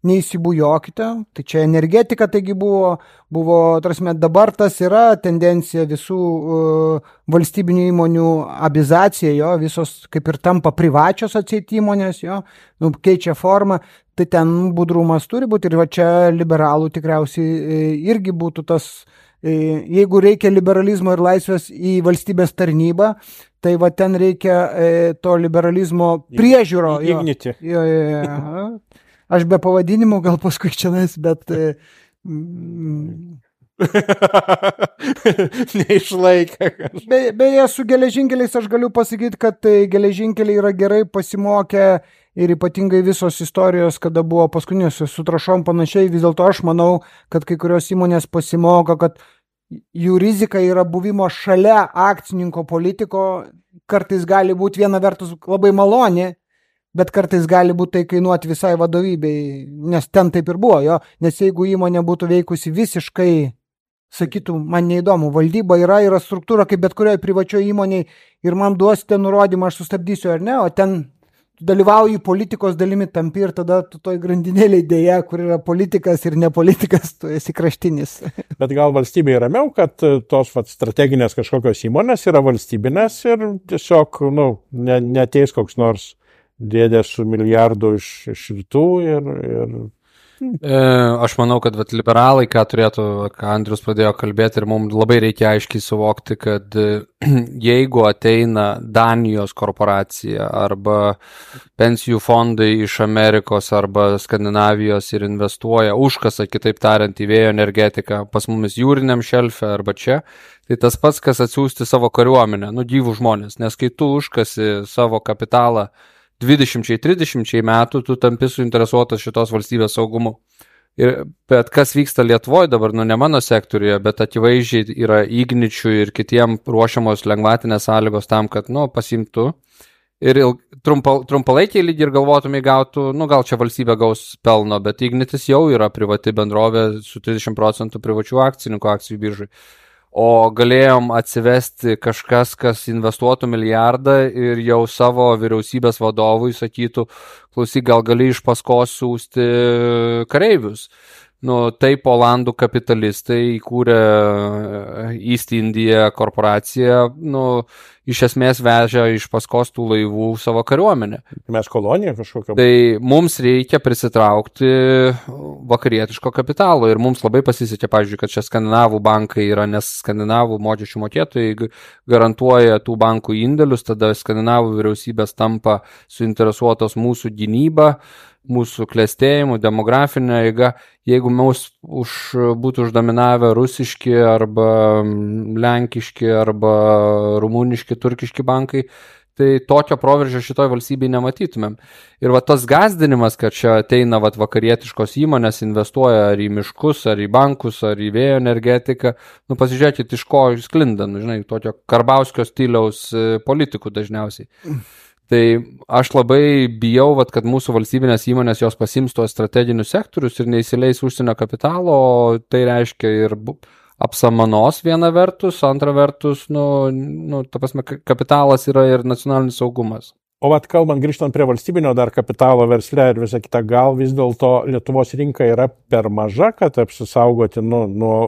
neįsibujokite. Tai čia energetika, taigi buvo, buvo tarsi, dabar tas yra tendencija visų uh, valstybinių įmonių abizacija, jo, visos kaip ir tampa privačios atseit įmonės, jo, nu, keičia formą, tai ten budrumas turi būti ir va čia liberalų tikriausiai irgi būtų tas, jeigu reikia liberalizmo ir laisvės į valstybės tarnybą, tai va ten reikia e, to liberalizmo priežiūro. Ignyti. Jo, jo, jo, jo. aš be pavadinimų gal paskui čianais, bet... Mm, neišlaikė. Be, beje, su geležinkeliais aš galiu pasakyti, kad geležinkeliai yra gerai pasimokę ir ypatingai visos istorijos, kada buvo paskutinės su trašom panašiai, vis dėlto aš manau, kad kai kurios įmonės pasimoka, kad jų rizika yra buvimo šalia akcininko politiko, kartais gali būti viena vertus labai maloni, bet kartais gali būti tai kainuoti visai vadovybei, nes ten taip ir buvo, jo, nes jeigu įmonė būtų veikusi visiškai, sakytų, man neįdomu, valdyba yra, yra struktūra kaip bet kurioje privačioje įmonėje ir man duosite nurodymą, aš sustabdysiu ar ne, o ten dalyvauji politikos dalimi tampi ir tada tu toj grandinėlėj dėja, kur yra politikas ir nepolitikas, tu esi kraštinis. Bet gal valstybėje ramiau, kad tos vat, strateginės kažkokios įmonės yra valstybinės ir tiesiog, nu, ne, neteis koks nors dėdė su milijardu iš, iš rytų ir... ir... E, aš manau, kad vat, liberalai, ką turėtų, ką Andrius pradėjo kalbėti ir mums labai reikia aiškiai suvokti, kad jeigu ateina Danijos korporacija arba pensijų fondai iš Amerikos arba Skandinavijos ir investuoja užkasa, kitaip tariant, į vėjo energetiką pas mumis jūriniam šelfe arba čia, tai tas pats, kas atsiųsti savo kariuomenę, nu gyvų žmonės, nes kai tu užkasi savo kapitalą dvidešimt trisdešimt metų tu tampi suinteresuotas šitos valstybės saugumu. Ir, bet kas vyksta Lietuvoje dabar, nu ne mano sektoriuje, bet akivaizdžiai yra Igničių ir kitiem ruošiamos lengvatinės sąlygos tam, kad, nu, pasimtų. Ir trumpa, trumpalaikiai lygiai ir galvotumai gautų, nu gal čia valstybė gaus pelno, bet Ignitis jau yra privati bendrovė su trisdešimt procentų privačių akcininkų akcijų biržai. O galėjom atsivesti kažkas, kas investuotų milijardą ir jau savo vyriausybės vadovui sakytų, klausyk, gal gali iš paskos siųsti kareivius. Nu, taip Olandų kapitalistai įkūrė East India korporaciją, nu, iš esmės vežė iš paskos tų laivų savo kariuomenę. Mes kolonija kažkokia. Tai mums reikia prisitraukti vakarietiško kapitalo ir mums labai pasisekė, pavyzdžiui, kad čia skandinavų bankai yra, nes skandinavų mokesčių mokėtojai garantuoja tų bankų indėlius, tada skandinavų vyriausybės tampa suinteresuotos mūsų gynyba, mūsų klestėjimų, demografinė eiga. Jeigu mums už, būtų uždominavę rusiški arba lenkiški arba rumuniški, turkiški bankai, tai tokio proveržio šitoj valstybėje nematytumėm. Ir va tas gazdinimas, kad čia ateina va vakarietiškos įmonės, investuoja ar į miškus, ar į bankus, ar į vėjo energetiką, nu pasižiūrėkit, iš ko sklinda, nu, žinai, tokio Karbauskio stiliaus politikų dažniausiai. Tai aš labai bijau, vat, kad mūsų valstybinės įmonės jos pasims tuos strateginius sektorius ir neįsileis užsienio kapitalo, tai reiškia ir apsamanos viena vertus, antra vertus, nu, nu, ta prasme, kapitalas yra ir nacionalinis saugumas. O vat kalbant, grįžtant prie valstybinio dar kapitalo versle ir visą kitą, gal vis dėlto Lietuvos rinka yra per maža, kad apsisaugoti nuo, nuo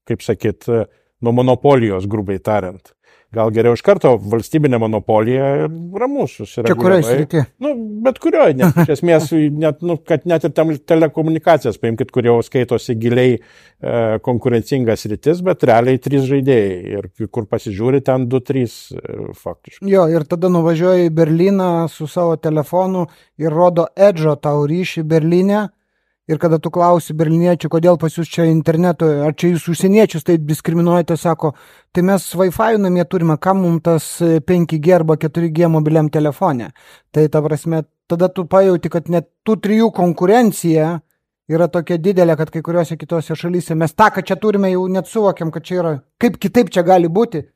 kaip sakyt, nuo monopolijos, grubiai tariant. Gal geriau iš karto valstybinė monopolija ir ramus susireguliuoja. Čia kurioje srityje? Nu, bet kurioje, net, iš esmės, net, nu, kad net ir tam telekomunikacijas, paimkit, kurie skaitosi giliai e, konkurencingas sritis, bet realiai trys žaidėjai ir kur pasižiūri ten du, trys e, faktiškai. Jo, ir tada nuvažiuoji į Berliną su savo telefonu ir rodo Edžo tau ryšį Berlyne. Ir kada tu klausi berliniečių, kodėl pas jūs čia interneto, ar čia jūs užsieniečius taip diskriminuojate, sako, tai mes Wi-Fi namie turime, kam mums tas penki G arba keturi G mobiliam telefone. Tai ta prasme, tada tu pajauti, kad net tų trijų konkurencija yra tokia didelė, kad kai kuriuose kitose šalyse mes tą, kad čia turime, jau net suvokiam, kad čia yra, kaip kitaip čia gali būti.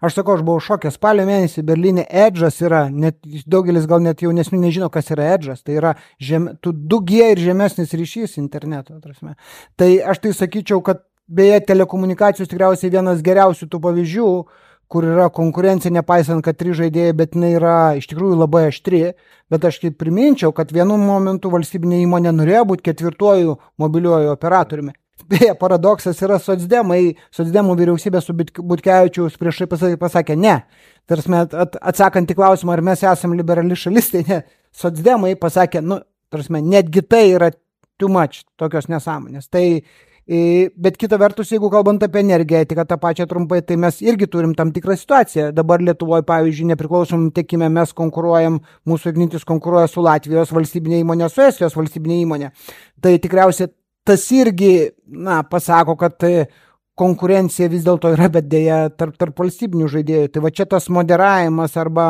Aš sakau, aš buvau šokęs, spalio mėnesį Berlyne Edžas yra, net, daugelis gal net jaunesni nežino, kas yra Edžas, tai yra žem, du G ir žemesnis ryšys interneto. Atrasme. Tai aš tai sakyčiau, kad beje telekomunikacijos tikriausiai vienas geriausių tų pavyzdžių, kur yra konkurencija, nepaisant, kad trys žaidėjai, bet jinai yra iš tikrųjų labai aštri, bet aš kaip priminčiau, kad vienu momentu valstybinė įmonė norėjo būti ketvirtuoju mobiliuoju operatoriumi. Beje, paradoksas yra socdemai, socdemų vyriausybė su Butkevičiaus priešai pasakė, pasakė ne. Tarsi at, atsakant į klausimą, ar mes esame liberali šalis, tai ne. Socdemai pasakė, nu, tarsi netgi tai yra too much, tokios nesąmonės. Tai Bet kita vertus, jeigu kalbant apie energetiką, tą pačią trumpai, tai mes irgi turim tam tikrą situaciją. Dabar Lietuvoje, pavyzdžiui, nepriklausomam tiekime mes konkuruojam, mūsų Ignitis konkuruoja su Latvijos valstybinė įmonė, su Estijos valstybinė įmonė. Tai tikriausiai tas irgi, na, pasako, kad konkurencija vis dėlto yra, bet dėja tarp, tarp valstybinių žaidėjų. Tai va čia tas moderavimas arba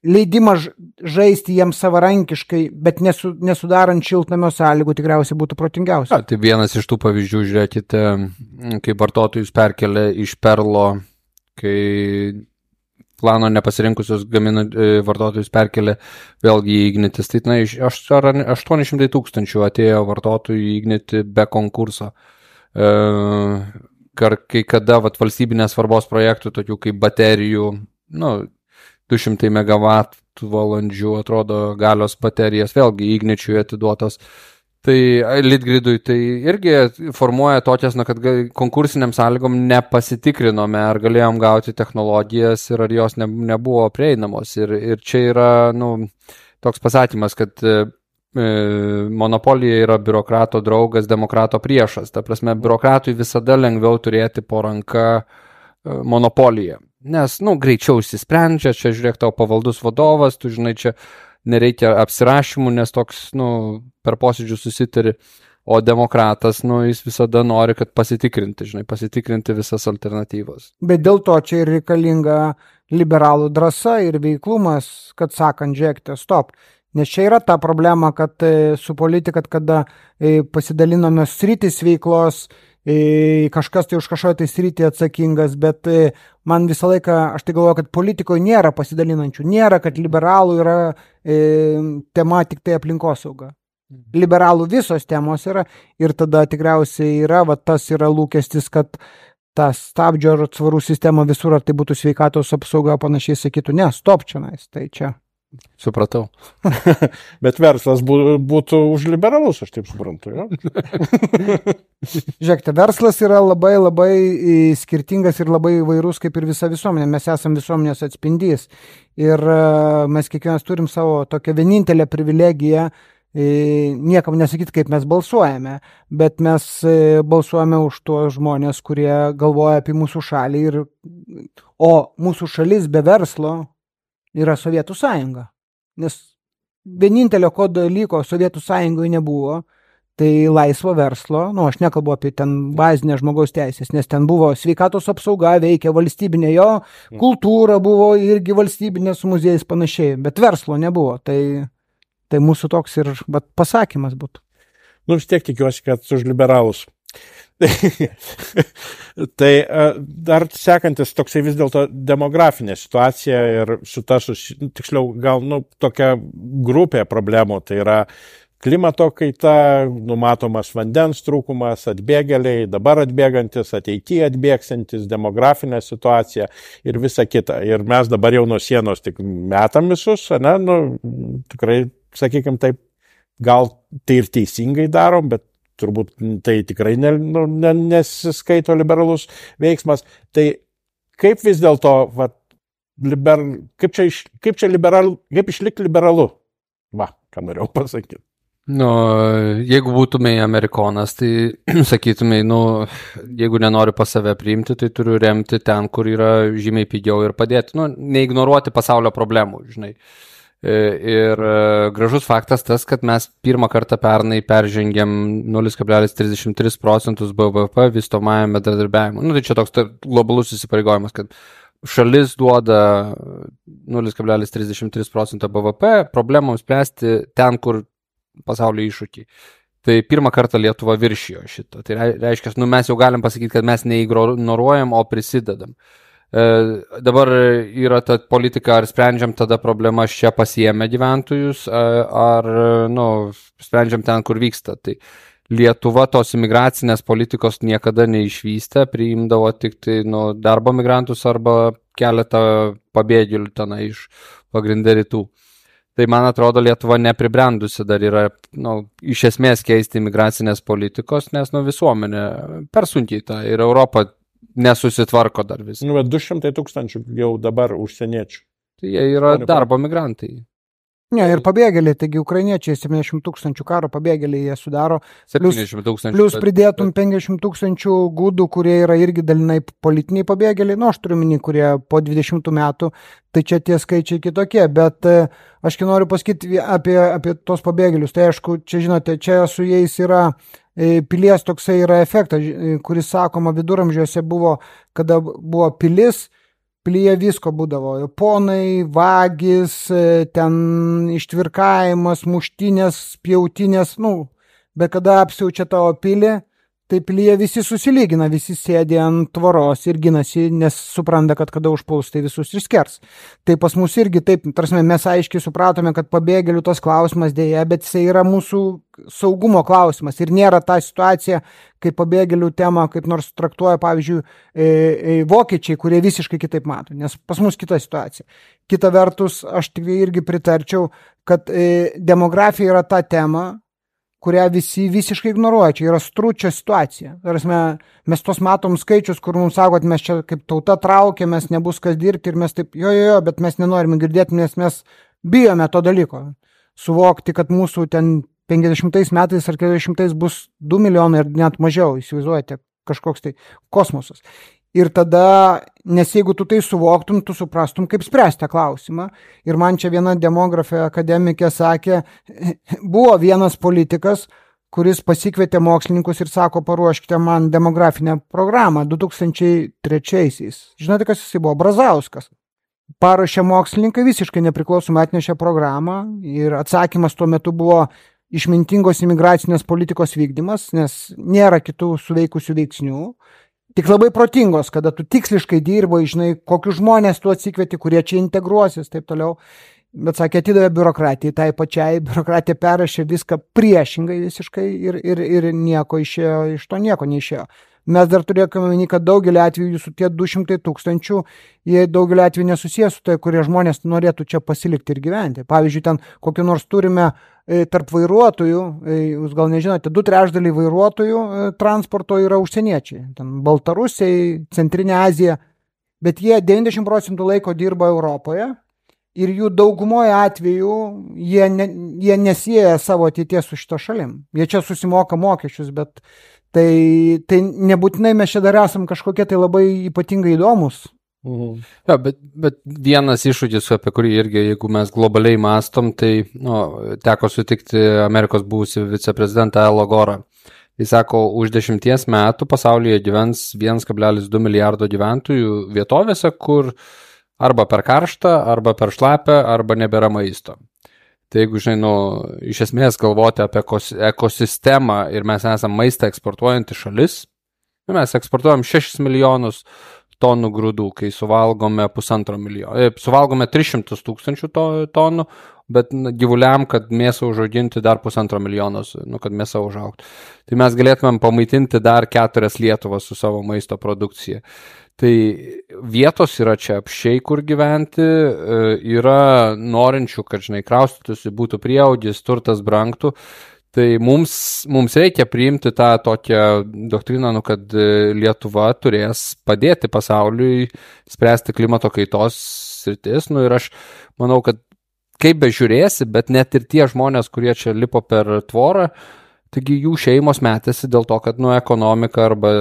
leidimas žaisti jiems savarankiškai, bet nesu, nesudarant šiltnamio sąlygų tikriausiai būtų protingiausia. Ja, tai vienas iš tų pavyzdžių, žiūrėkite, kai vartotojus perkelia iš Perlo, kai plano nepasirinkusius gamina, vartotojus perkelia vėlgi į Ignitis. Tai na, aštuoni šimtai tūkstančių atėjo vartotojų į Ignitį be konkurso. E, kai kada vat, valstybinės svarbos projektų, tokių kaip baterijų, nu, du šimtai megavatų valandžių, atrodo, galios baterijas, vėlgi Igničiui atiduotos. Tai Litgridui tai irgi formuoja tokias, na, kad konkursiniam sąlygom nepasitikrinome, ar galėjom gauti technologijas ir ar jos ne, nebuvo prieinamos. Ir, ir čia yra, nu, toks pasakymas, kad e, monopolija yra biurokrato draugas, demokrato priešas. Ta prasme, biurokratui visada lengviau turėti po ranka e, monopoliją. Nes, nu, greičiau įsisprendžia, čia žiūrėk tau pavaldus vadovas, tu žinai, čia nereikia apsirašymų, nes toks, nu, per posėdžių susitari, o demokratas, nu, jis visada nori, kad pasitikrinti, žinai, pasitikrinti visas alternatyvas. Bet dėl to čia ir reikalinga liberalų drąsa ir veiklumas, kad sakant, žiūrėkite, stop. Nes čia yra ta problema, kad su politika, kada pasidalinome sritis veiklos, kažkas tai už kažkoje tai sritį atsakingas, bet man visą laiką, aš tai galvoju, kad politikoje nėra pasidalinančių, nėra, kad liberalų yra e, tema tik tai aplinkosauga. Liberalų visos temos yra ir tada tikriausiai yra, va, tas yra lūkestis, kad ta stabdžio ar atsvarų sistema visur, ar tai būtų sveikatos apsauga, panašiai sakytų, ne, stop čia, tai čia. Supratau. Bet verslas būtų už liberalus, aš taip suprantu. Ja? Žiūrėkite, verslas yra labai labai skirtingas ir labai įvairus kaip ir visa visuomenė. Mes esame visuomenės atspindys ir mes kiekvienas turim savo tokią vienintelę privilegiją, niekam nesakyti, kaip mes balsuojame, bet mes balsuojame už tuos žmonės, kurie galvoja apie mūsų šalį, ir, o mūsų šalis be verslo yra Sovietų sąjunga, nes vienintelio ko dalyko Sovietų sąjungoje nebuvo, tai laisvo verslo, nu aš nekalbu apie ten bazinę žmogaus teisės, nes ten buvo sveikatos apsauga, veikia valstybinė jo, kultūra buvo irgi valstybinė su muziejais panašiai, bet verslo nebuvo, tai, tai mūsų toks ir bet, pasakymas būtų. Nu vis tiek tikiuosi, kad už liberalus. Tai dar sekantis toksai vis dėlto demografinė situacija ir su ta, susi... tiksliau, gal nu, tokia grupė problemų, tai yra klimato kaita, numatomas vandens trūkumas, atbėgėliai, dabar atbėgantis, ateityje atbėgsantis, demografinė situacija ir visa kita. Ir mes dabar jau nuo sienos tik metam visus, ne, nu, tikrai, sakykime taip, gal tai ir teisingai darom, bet turbūt tai tikrai ne, nu, ne, nesiskaito liberalus veiksmas. Tai kaip vis dėlto, va, liber, kaip čia, iš, kaip čia liberal, kaip išlikti liberalu? Va, ką norėjau pasakyti. Nu, jeigu būtumai amerikonas, tai sakytumai, nu, jeigu nenori pas save priimti, tai turiu remti ten, kur yra žymiai pigiau ir padėti. Nu, neignoruoti pasaulio problemų, žinai. Ir gražus faktas tas, kad mes pirmą kartą pernai peržengėm nulis kablelis trisdešimt tris procentus B V P vystomajam bendradarbiavimui. Nu, tai čia toks globalus įsipareigojimas, kad šalis duoda nulis kablelis trisdešimt tris procento B V P problemams spręsti ten, kur pasaulio iššūkiai. Tai pirmą kartą Lietuva viršijo šito. Tai reiškia, nu, mes jau galim pasakyti, kad mes neignoruojam, o prisidedam. E, dabar yra ta politika, ar sprendžiam tada problemas čia pasiėmę gyventojus, ar, nu, sprendžiam ten, kur vyksta. Tai Lietuva tos imigracinės politikos niekada neišvystė, priimdavo tik tai, nu, darbo migrantus arba keletą pabėgėlių tenai iš pagrindė rytų. Tai man atrodo, Lietuva nepribrendusi dar yra, nu, iš esmės keisti imigracinės politikos, nes, nu, visuomenė per sunkiai tą ir Europą nesusitvarko dar vis. Nu, bet du šimtai tūkstančių jau dabar užsieniečių. Tai jie yra darbo migrantai. Ne, ir pabėgėliai, taigi ukrainiečiai septyniasdešimt tūkstančių karo pabėgėliai jie sudaro. septyniasdešimt tūkstančių. Plius pridėtum penkiasdešimt tūkstančių gudų, kurie yra irgi dalinai politiniai pabėgėliai, nu aš turiu minį, kurie po dvidešimtų metų, tai čia tie skaičiai kitokie, bet aš noriu pasakyti apie, apie tos pabėgėlius, tai aišku, čia žinote, čia su jais yra pilies toksai yra efektas, kuris sakoma viduramžiuose buvo, kada buvo pilis, pilyje visko būdavo, ponai, vagis, ten ištvirkavimas, muštinės, pjautinės, nu, bet kada apsiaučia tavo pilį, tai pilyje visi susilygina, visi sėdė ant tvoros ir ginasi, nes supranta, kad kada užpuls, tai visus išskers. Tai pas mus irgi taip, tarsi mes aiškiai supratome, kad pabėgėlių tas klausimas dėja, bet jisai yra mūsų saugumo klausimas ir nėra ta situacija, kaip pabėgėlių tema, kaip nors traktuoja, pavyzdžiui, e, e, vokiečiai, kurie visiškai kitaip mato, nes pas mus kita situacija. Kita vertus, aš tik irgi pritarčiau, kad e, demografija yra ta tema, kurią visi visiškai ignoruoja. Čia yra stručio situacija. Tarasme, mes tos matom skaičius, kur mums sako, kad mes čia kaip tauta traukiamės, nebus kas dirbti ir mes taip, jo, jo, jo, bet mes nenorime girdėti, nes mes bijome to dalyko. Suvokti, kad mūsų ten penkiasdešimtais metais ar keturiasdešimtais bus du milijonai ir net mažiau, įsivaizduojate, kažkoks tai kosmosas. Ir tada, nes jeigu tu tai suvoktum, tu suprastum, kaip spręsti klausimą. Ir man čia viena demografė akademikė sakė, buvo vienas politikas, kuris pasikvietė mokslininkus ir sako, paruoškite man demografinę programą du tūkstančiai trečiaisiais. Žinote, kas jis buvo? Brazauskas. Paruošė mokslininkai, visiškai nepriklausomai atnešė programą ir atsakymas tuo metu buvo išmintingos imigracinės politikos vykdymas, nes nėra kitų suveikusių veiksnių. Tik labai protingos, kada tu tiksliškai dirbai, žinai, kokius žmonės tu atsikvieti, kurie čia integruosis, taip toliau. Bet sakė, atidavė biurokratijai, tai pačiai biurokratija perrašė viską priešingai visiškai ir, ir, ir nieko išėjo, iš to nieko neišėjo. Mes dar turėkime minį, kad daugelį atvejų jūsų tie du šimtai tūkstančių, jie daugelį atvejų nesusijęs su tai, kurie žmonės norėtų čia pasilikti ir gyventi. Pavyzdžiui, ten kokį nors turime e, tarp vairuotojų, e, jūs gal nežinote, du trečdaliai vairuotojų e, transporto yra užsieniečiai. Ten Baltarusiai, Centrinė Azija, bet jie devyniasdešimt procentų laiko dirba Europoje ir jų daugumoje atveju jie, ne, jie nesieja savo ateities su šito šalim. Jie čia susimoka mokesčius, bet Tai, tai nebūtinai mes čia dar esam kažkokie tai labai ypatingai įdomus. Mhm. Ja, bet, bet vienas iššūkis, apie kurį irgi, jeigu mes globaliai mastom, tai nu, teko sutikti Amerikos buvusi viceprezidentą Al Gorą. Jis sako, už dešimties metų pasaulyje gyvens vienas kablelis du milijardo gyventojų vietovėse, kur arba per karštą, arba per šlapę, arba nebėra maisto. Tai jeigu, žinai, nu, iš esmės galvoti apie ekosistemą ir mes esame maistą eksportuojanti šalis, mes eksportuojam šešis milijonus tonų grūdų, kai suvalgome pusantro milijono, suvalgome tris šimtus tūkstančių tonų, bet gyvuliam, kad mėsą užauginti dar pusantro milijonos, nu, kad mėsą užaugtų. Tai mes galėtumėm pamaitinti dar keturias Lietuvas su savo maisto produkcija. Tai vietos yra čia apšiai, kur gyventi, yra norinčių, kad, žinai, kraustytųsi, būtų prieaugis, turtas brangtų. Tai mums, mums reikia priimti tą tokią doktriną, nu, kad Lietuva turės padėti pasauliui spręsti klimato kaitos sritis. Nu, ir aš manau, kad kaip bežiūrėsi, bet net ir tie žmonės, kurie čia lipo per tvorą, taigi jų šeimos metėsi dėl to, kad nu, ekonomika arba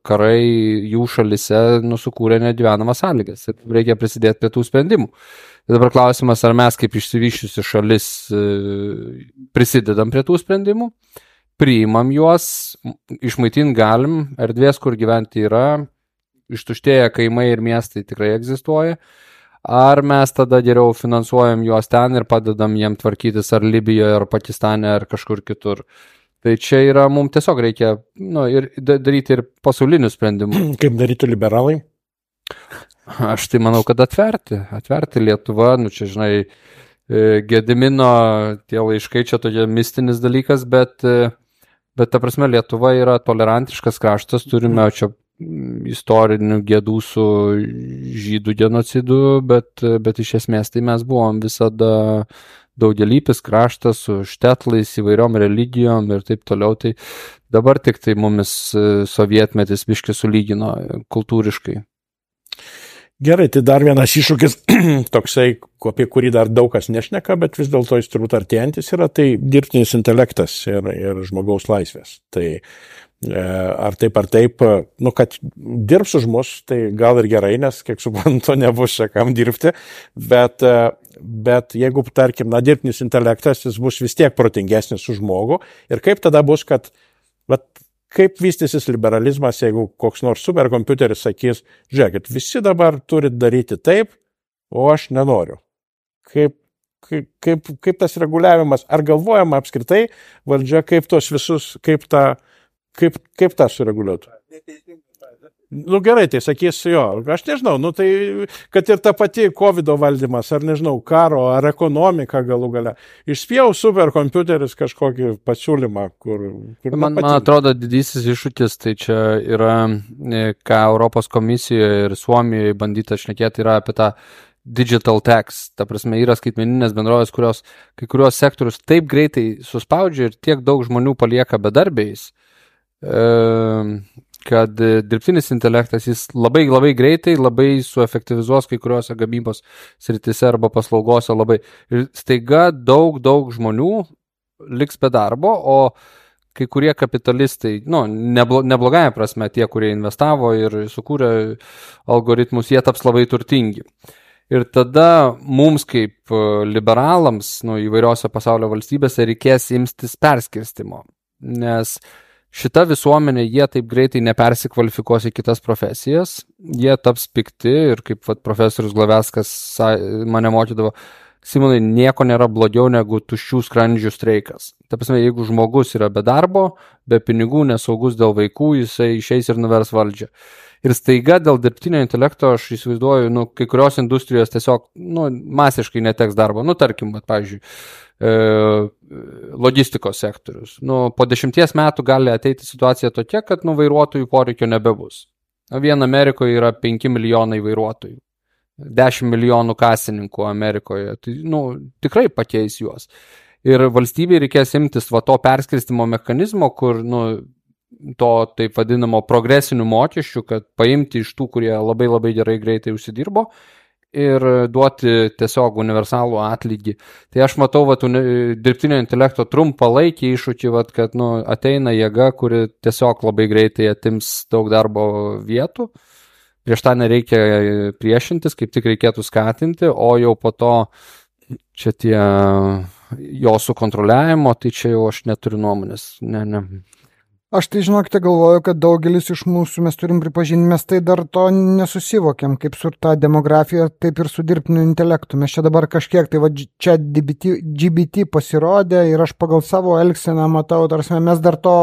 karai jų šalise nu, sukūrė negyvenamas sąlygas ir reikia prisidėti prie tų sprendimų. Ir dabar klausimas, ar mes kaip išsivyščiusi šalis prisidedam prie tų sprendimų, priimam juos, išmaitinti galim, erdvės, kur gyventi yra, ištuštėję kaimai ir miestai tikrai egzistuoja. Ar mes tada geriau finansuojam juos ten ir padedam jiem tvarkytis ar Libijoje, ar Pakistane, ar kažkur kitur. Tai čia yra, mums tiesiog reikia nu, ir daryti ir pasaulinių sprendimų. Kaip daryti liberalai? Aš tai manau, kad atverti. Atverti Lietuvą, nu čia, žinai, Gedimino tie laiškai čia tokia mistinis dalykas, bet, bet ta prasme Lietuva yra tolerantiškas kraštas, turime čia istorinių gėdų su žydų genocidu, bet, bet iš esmės tai mes buvom visada daugelypis kraštas su štetlais, įvairiom religijom ir taip toliau. Tai dabar tik tai mumis sovietmetis biškai sulygino kultūriškai. Gerai, tai dar vienas iššūkis, toksai, apie kurį dar daug kas nešneka, bet vis dėlto jis turbūt artėjantis yra, tai dirbtinis intelektas ir, ir žmogaus laisvės. Tai ar taip ar taip, nu, kad dirbs už mus, tai gal ir gerai, nes, kiek suprantu, nebus čia kam dirbti, bet, bet jeigu, tarkim, na, dirbtinis intelektas, jis bus vis tiek protingesnis už žmogų ir kaip tada bus, kad, vat, kaip vystysis liberalizmas, jeigu koks nors superkompiuteris sakys, žiūrėkit, visi dabar turit daryti taip, o aš nenoriu. Kaip, kaip, kaip, kaip tas reguliavimas, ar galvojama apskritai valdžia, kaip tos visus, kaip tą, kaip, kaip tą sureguliuotų? Nu gerai, tai sakys jo, aš nežinau, nu tai, kad ir ta pati kovido valdymas, ar nežinau, karo, ar ekonomika galų gale, išspėjau superkompiuteris kažkokį pasiūlymą, kur... kur man, man atrodo, didysis iššūkis, tai čia yra, ką Europos komisijoje ir Suomijoje bandyta šnekėti, yra apie tą digital tax, ta prasme, yra skaitmeninės bendrovės, kurios kai kurios sektorius taip greitai suspaudžia ir tiek daug žmonių palieka bedarbiais, e, kad dirbtinis intelektas jis labai labai greitai, labai suefektyvizuos kai kuriuose gamybos sritise arba paslaugose labai. Ir staiga daug, daug žmonių liks be darbo, o kai kurie kapitalistai, nu, neblo, neblogąją prasme, tie, kurie investavo ir sukūrė algoritmus, jie taps labai turtingi. Ir tada mums kaip liberalams, nu, įvairiose pasaulio valstybėse reikės imtis perskirstimo, nes šita visuomenė, jie taip greitai nepersikvalifikuos į kitas profesijas, jie taps pikti ir kaip vat, profesorius Glaveckas mane mokydavo, Simonai, nieko nėra blogiau negu tuščių skrandžių streikas. Ta prasme, jeigu žmogus yra be darbo, be pinigų, nesaugus dėl vaikų, jisai išeis ir nuvers valdžią. Ir staiga dėl dirbtinio intelekto, aš įsivaizduoju, nu, kai kurios industrijos tiesiog nu, masiškai neteks darbo. Nu, tarkim, vat, pavyzdžiui, logistikos sektorius. Nu, po dešimties metų gali ateiti situacija tokia, kad nu, vairuotojų poreikio nebebus. Vien Amerikoje yra penki milijonai vairuotojų, dešimt milijonų kasininkų Amerikoje. Tai nu, tikrai pakeis juos. Ir valstybei reikės imtis va, to perskirstimo mechanizmo, kur nu, to taip vadinamo progresinių mokesčių, kad paimti iš tų, kurie labai labai gerai greitai užsidirbo, ir duoti tiesiog universalų atlygį. Tai aš matau vat, dirbtinio intelekto trumpalaikį iššūkį, vat, kad nu, ateina jėga, kuri tiesiog labai greitai atims daug darbo vietų. Prieš tą nereikia priešintis, kaip tik reikėtų skatinti, o jau po to čia tie jo sukontroliavimo, tai čia jau aš neturiu nuomonės. Ne, ne. Aš tai, žinokite, galvoju, kad daugelis iš mūsų mes turim pripažinti, mes tai dar to nesusivokiam, kaip su ta demografija, taip ir su dirbtiniu intelektu. Mes čia dabar kažkiek, tai va, čia G B T pasirodė ir aš pagal savo elgseną matau, tarsi mes dar to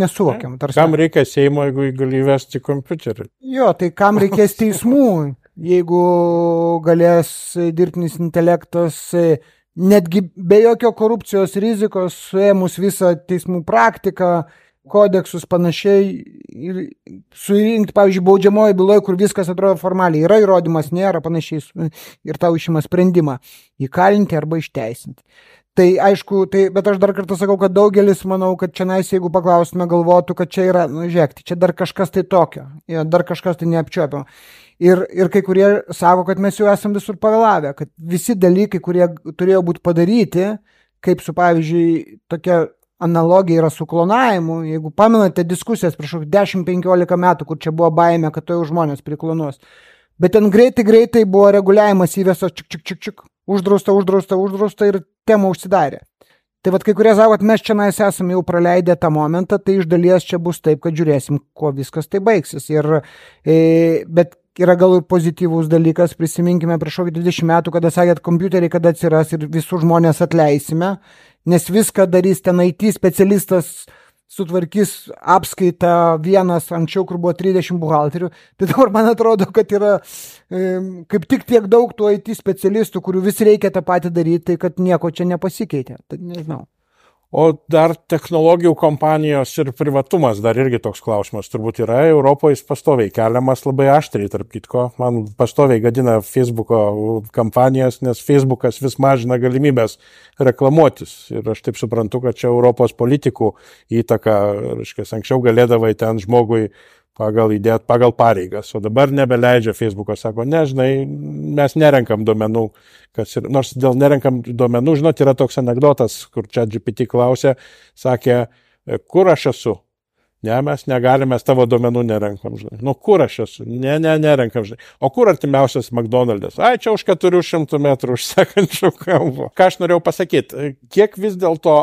nesuvokiam. Tarsi. Kam reikia Seimo, jeigu gali įvesti kompiuterį? Jo, tai kam reikės teismų, jeigu galės dirbtinis intelektas netgi be jokio korupcijos rizikos, suėmus visą teismų praktiką, kodeksus panašiai ir surinkti, pavyzdžiui, baudžiamoje byloje, kur viskas atrodo formaliai, yra įrodymas, nėra panašiai ir tau išima sprendimą įkalinti arba išteisinti. Tai aišku, tai, bet aš dar kartą sakau, kad daugelis, manau, kad čia nais, jeigu paklaustume, galvotų, kad čia yra, nu, žiūrėkti, čia dar kažkas tai tokio, dar kažkas tai neapčiuopiamo. Ir, ir kai kurie sako, kad mes jau esam visur pavėlavę, kad visi dalykai, kurie turėjo būti padaryti, kaip su, pavyzdžiui, tokia analogija yra su klonavimu, jeigu pamenate diskusijas prieš dešimt penkiolika metų, kur čia buvo baimė, kad to jau žmonės priklonuos. Bet ten greitai, greitai buvo reguliavimas įvestas, čik, čik, čik, čik, uždrausta, uždrausta, uždrausta ir tema užsidarė. Tai vat kai kurie sako, kad mes čia nais esame jau praleidę tą momentą, tai iš dalies čia bus taip, kad žiūrėsim, kuo viskas tai baigsis. Ir, e, bet yra gal ir pozityvus dalykas, prisiminkime prieš dvidešimt metų, kada sakėt, kompiuteriai kada atsiras ir visų žmonės atleisime, nes viską darys ten I T specialistas, sutvarkys apskaitą vienas anksčiau, kur buvo trisdešimt buhalterių. Tai dabar man atrodo, kad yra e, kaip tik tiek daug tų I T specialistų, kurių vis reikia tą patį daryti, tai kad nieko čia nepasikeitė. Tai nežinau. O dar technologijų kompanijos ir privatumas, dar irgi toks klausimas turbūt yra. Europoje jis pastoviai keliamas labai aštriai, tarp kitko. Man pastoviai gadina Facebooko kampanijas, nes Facebookas vis mažina galimybės reklamuotis. Ir aš taip suprantu, kad čia Europos politikų įtaka, reiškia, anksčiau galėdavai ten žmogui pagal įdėt, pagal pareigas, o dabar nebeleidžia Facebookas, sako, nežinai, mes nerenkam duomenų, kas ir, nors dėl nerenkam duomenų, žinot, yra toks anekdotas, kur čia G P T klausė, sakė, kur aš esu? Ne, mes negalime, mes tavo duomenų nerenkam, žinai. Nu, kur aš esu? Ne, ne, nerenkam, žinai. O kur artimiausias McDonald's? Ai, čia už keturių šimtų metrų už sekančių kampo. Ką aš norėjau pasakyti, kiek vis dėlto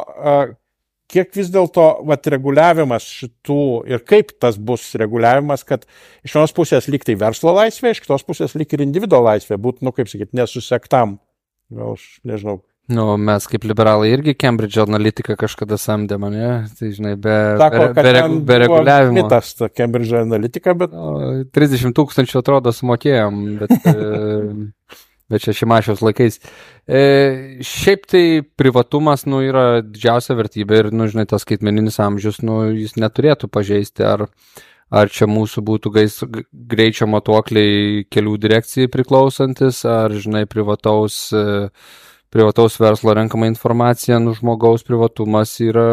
kiek vis dėlto vat, reguliavimas šitų ir kaip tas bus reguliavimas, kad iš vienos pusės lyg tai verslo laisvė, iš kitos pusės lyg ir individuo laisvė, būt, nu kaip sakyti, nesusektam. Gal aš nežinau. Nu, mes kaip liberalai irgi Cambridge Analytica kažkada samdėm, ne? Tai, žinai, be, Sako, be, be, regu, be reguliavimo. Mitas ta Cambridge Analytica, bet... O, trisdešimt tūkstančių atrodo sumokėjom, bet... bet čia Šimašiaus laikais. E, šiaip tai privatumas, nu, yra didžiausia vertybė ir, nu, žinai, tas skaitmeninis amžius, nu, jis neturėtų pažeisti, ar, ar čia mūsų būtų gais, greičio matuokliai kelių direkcijai priklausantis, ar, žinai, privataus, privataus verslo renkama informacija, nu, žmogaus privatumas yra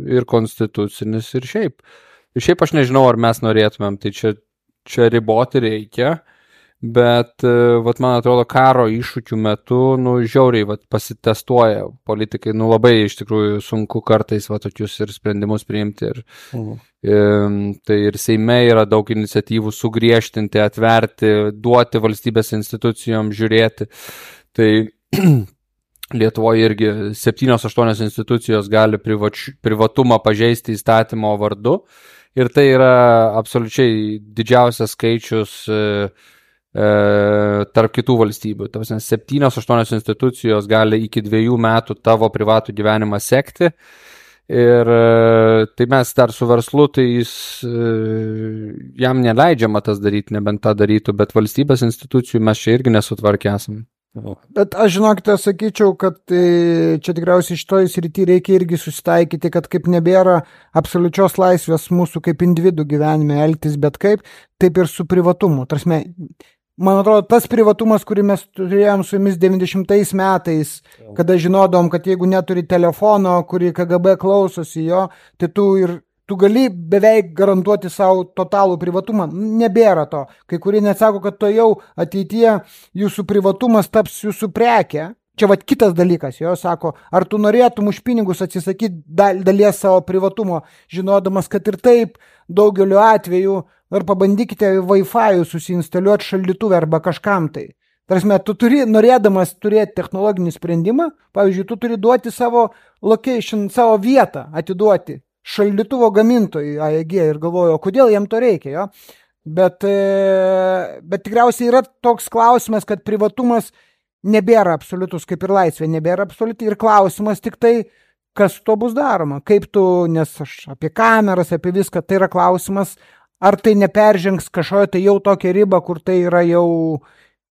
ir konstitucinis, ir šiaip. Ir šiaip aš nežinau, ar mes norėtumėm, tai čia, čia riboti reikia. Bet, vat, man atrodo, karo iššūkių metu, nu, žiauriai, vat, pasitestuoja politikai, nu, labai iš tikrųjų sunku kartais, vat, tokius ir sprendimus priimti. Ir, mhm. ir, tai ir Seime yra daug iniciatyvų sugriežtinti, atverti, duoti valstybės institucijom žiūrėti. Tai Lietuvoje irgi septynios aštuonios institucijos gali privač, privatumą pažeisti įstatymo vardu. Ir tai yra absoliučiai didžiausias skaičius tarp kitų valstybių. Tavasne, septynios aštuonios institucijos gali iki dviejų metų tavo privatų gyvenimą sekti. Ir tai mes dar su verslu, tai jis, jam neleidžiama tas daryti, nebent tą darytų, bet valstybės institucijų mes čia irgi nesutvarkę esame. Bet aš žinokite, sakyčiau, kad čia tikriausiai šitoj srity reikia irgi susitaikyti, kad kaip nebėra absoliučios laisvės mūsų kaip individų gyvenime elgtis, bet kaip, taip ir su privatumu. Tarsi, man atrodo, tas privatumas, kurį mes turėjom su jumis devyniasdešimtais metais, kada žinodom, kad jeigu neturi telefono, kurį K G B klausosi jo, tai tu ir tu gali beveik garantuoti savo totalų privatumą. Nebėra to. Kai kurie net sako, kad to jau ateityje jūsų privatumas taps jūsų prekė. Čia vat kitas dalykas, jo sako, ar tu norėtum už pinigus atsisakyti dalies savo privatumo, žinodamas, kad ir taip daugeliu atveju, ar pabandykite Wi-Fi susiinstaliuoti šaldytuvę arba kažkam tai. Tarsi, tu turi, norėdamas turėti technologinį sprendimą, pavyzdžiui, tu turi duoti savo location, savo vietą atiduoti šaldytuvo gamintojui A E G ir galvoju, kodėl jam to reikia, jo? Bet, bet tikriausiai yra toks klausimas, kad privatumas nebėra absoliutus, kaip ir laisvė nebėra absoliuti ir klausimas tik tai, kas to bus daroma, kaip tu, nes aš apie kameras, apie viską, tai yra klausimas, ar tai neperžengs kažkoje tai jau tokią ribą, kur tai yra jau,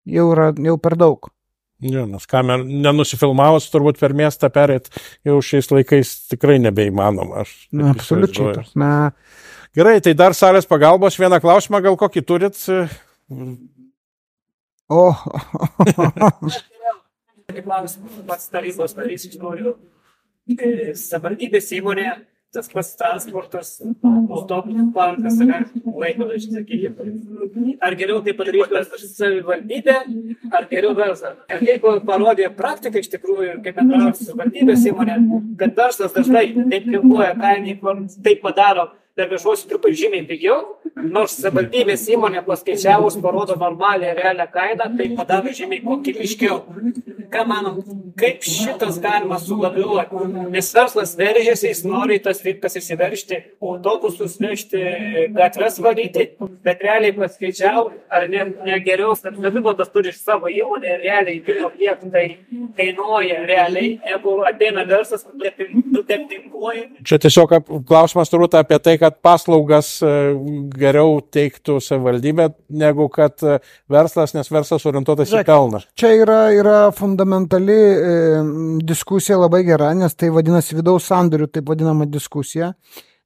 jau, yra, jau per daug. Jo, nes kamer nenusifilmavus turbūt per miestą perėt jau šiais laikais tikrai nebeįmanoma. Aš Na, absoliučiai. Na. Gerai, tai dar salės pagalbos vieną klausimą, gal kokį turit? O. Pats tarybos narys iš noriu. Savivaldybės įmonė, tas pats transportas, autobusų parkas, laikrodis, sakykime. Ar geriau tai padaryti savivaldybė, ar geriau verslas? Ir jeigu parodė praktiką iš tikrųjų, kaip bendrauja savivaldybės įmonė, kad verslas dažnai taip kilpuoja kainį, taip padaro, dar viešuosiu truputį žymiai pigiau, nors savivaldybės įmonė paskaičiavus parodo normalią realią kainą, tai padaro žymiai kokybiškiau. Ką manom, kaip šitas galima sulabiuoti? Nes verslas veržėsi, jis nori tas rinkas įsiveržti, autobusus vežti, gatves valyti, bet realiai paskaičiau, ar ne, ne geriau, kad savivaldas turi savo įmonę, realiai pirmo kiek tai kainuoja realiai, jeigu ateina verslas, nutempinguoja. Čia tiesiog klausimas turbūt apie tai, kad paslaugas geriau teiktų savivaldybė, negu kad verslas, nes verslas orientuotas į pelną. Čia yra, yra fundamentali e, diskusija labai gera, nes tai vadinasi vidaus sandorių, taip vadinama diskusija.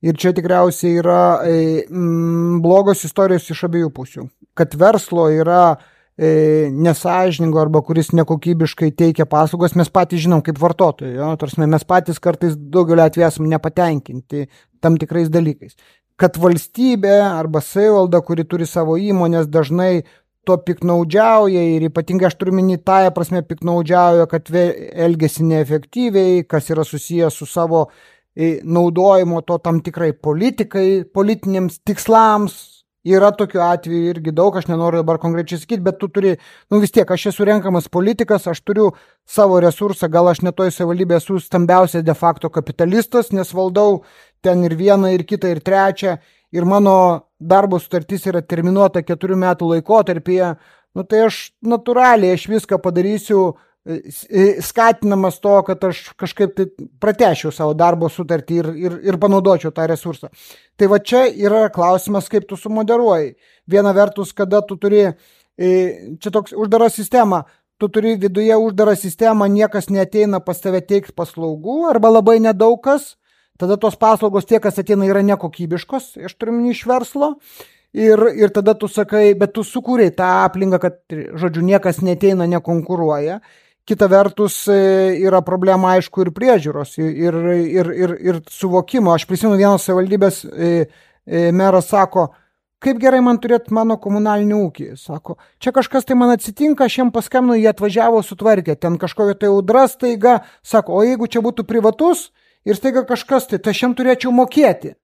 Ir čia tikriausiai yra e, m, blogos istorijos iš abiejų pusių. Kad verslo yra e, nesąžiningo arba kuris nekokybiškai teikia paslaugas, mes patys žinom kaip vartotojai. Jo? Tarsi mes patys kartais daugelį atvejų esame nepatenkinti tam tikrais dalykais. kad valstybė arba savivalda, kuri turi savo įmonės, dažnai to piknaudžiauja ir ypatingai aš turiu minį tąją prasme piknaudžiauja, kad elgesi neefektyviai, kas yra susijęs su savo naudojimo to tam tikrai politikai, politiniams tikslams. Yra tokių atvejų irgi daug, aš nenoriu dabar konkrečiai sakyti, bet tu turi, nu vis tiek, aš esu renkamas politikas, aš turiu savo resursą, gal aš netoj savivaldybėje esu stambiausias de facto kapitalistas, nes valdau ten ir vieną, ir kitą, ir trečią, ir mano darbo sutartis yra terminuota keturių metų laikotarpyje, nu tai aš natūraliai, aš viską padarysiu, skatinamas to, kad aš kažkaip tai pratešiu savo darbo sutartį ir, ir, ir panaudočiau tą resursą. Tai va čia yra klausimas, kaip tu sumoderuoji. Viena vertus, kada tu turi, čia toks uždara sistema, tu turi viduje uždarą sistemą, niekas neateina pas tave teikti paslaugų arba labai nedaug kas, tada tos paslaugos tie, kas ateina, yra nekokybiškos, aš turiu minį iš verslo. Ir, ir tada tu sakai, bet tu sukūrei tą aplinką, kad, žodžiu, niekas neteina, nekonkuruoja. Kita vertus yra problema, aišku, ir priežiūros, ir, ir, ir, ir suvokimo. Aš prisimenu, vienos savivaldybės meras sako, kaip gerai man turėti mano komunalinį ūkį. Sako, čia kažkas tai man atsitinka, aš jiem paskambinu, jie atvažiavo sutvarkė, ten kažkokia tai audra staiga, sako, o jeigu čia būtų privatus ir staiga kažkas tai, tai aš jiem turėčiau mokėti.